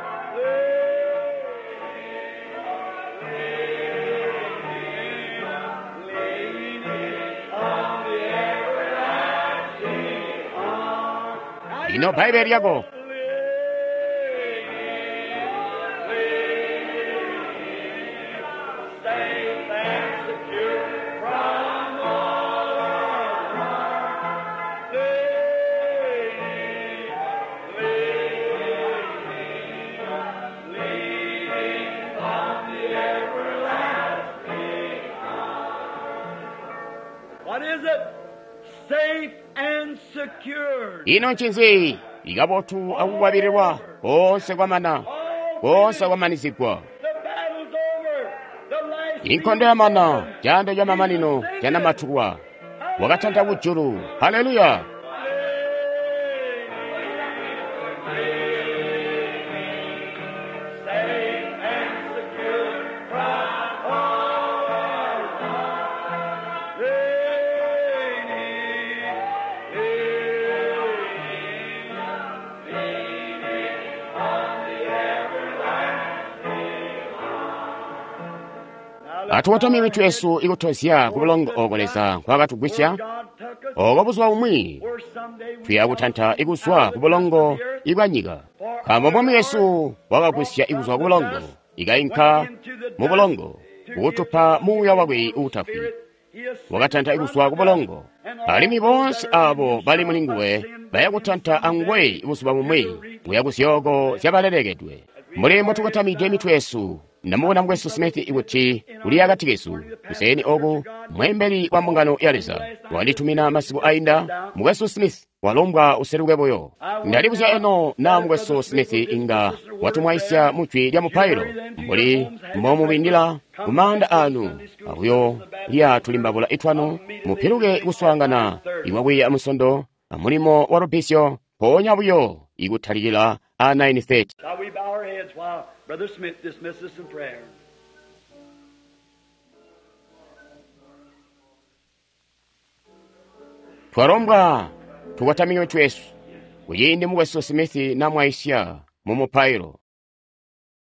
Leaning on the everlasting arm. Ino Bbaibele lyako. Safe and secure from all harm. Leaning, leaning, leaning on the everlasting arm. What is it? Safe and secured. Ino ncinzi ikabotu akukwabililwa koonse kwamana, koonse kwamanizigwa. The battle's over. The last Inkondo yamana, caando camamanino canamatukwa. Wakatanta kujulu. Haleluya! Safe and secure from all harm. Leaning, leaning, leaning on the everlasting arm. Atukotamye mitwe yesu ikutozya ku bulongo oko Leza nkwakatugwisya, God took us oko buzuba bumwi where someday we tuya kutanta ikuzwa ku bulongo ibwa nyika. Nkaambo Mwami Yesu wakagwisya ikuzwa ku bulongo, ikainka mu bulongo, kukutupa muuya wakwe uutafwi. Wakatanta ikuzwa ku bulongo, alimwi boonse abo bali muli nguwe baya kutanta anguwe buzuba bumwi kuya ku zyooko zyabalelekedwe. Mbuli mbotukotamide mitwe yesu, ndamubona mukwesu Smith kuti uli akati kesu kuseeni oku mweembeli wa mbungano ya Leza wanditumina masiku ainda. Mukwesu Smith walombwa useluke buyo. Ndalibuzya eno na mukwesu Smith inga watumwaisya mujwi lya mupailo mbuli mbomubindila kumaanda anu akuyo lya tulimbabula itwanu mupiluke kuswaangana iwakwiiya musondo amulimo wa lupisyo mpoonya buyo ikutalikila a nine thirty. Shall we bow our heads while Brother Smith dismisses us in prayer? Twalombwa tukotamike mitwe yesu kuciindi mukwesu Smith namwaisya mu mupailo.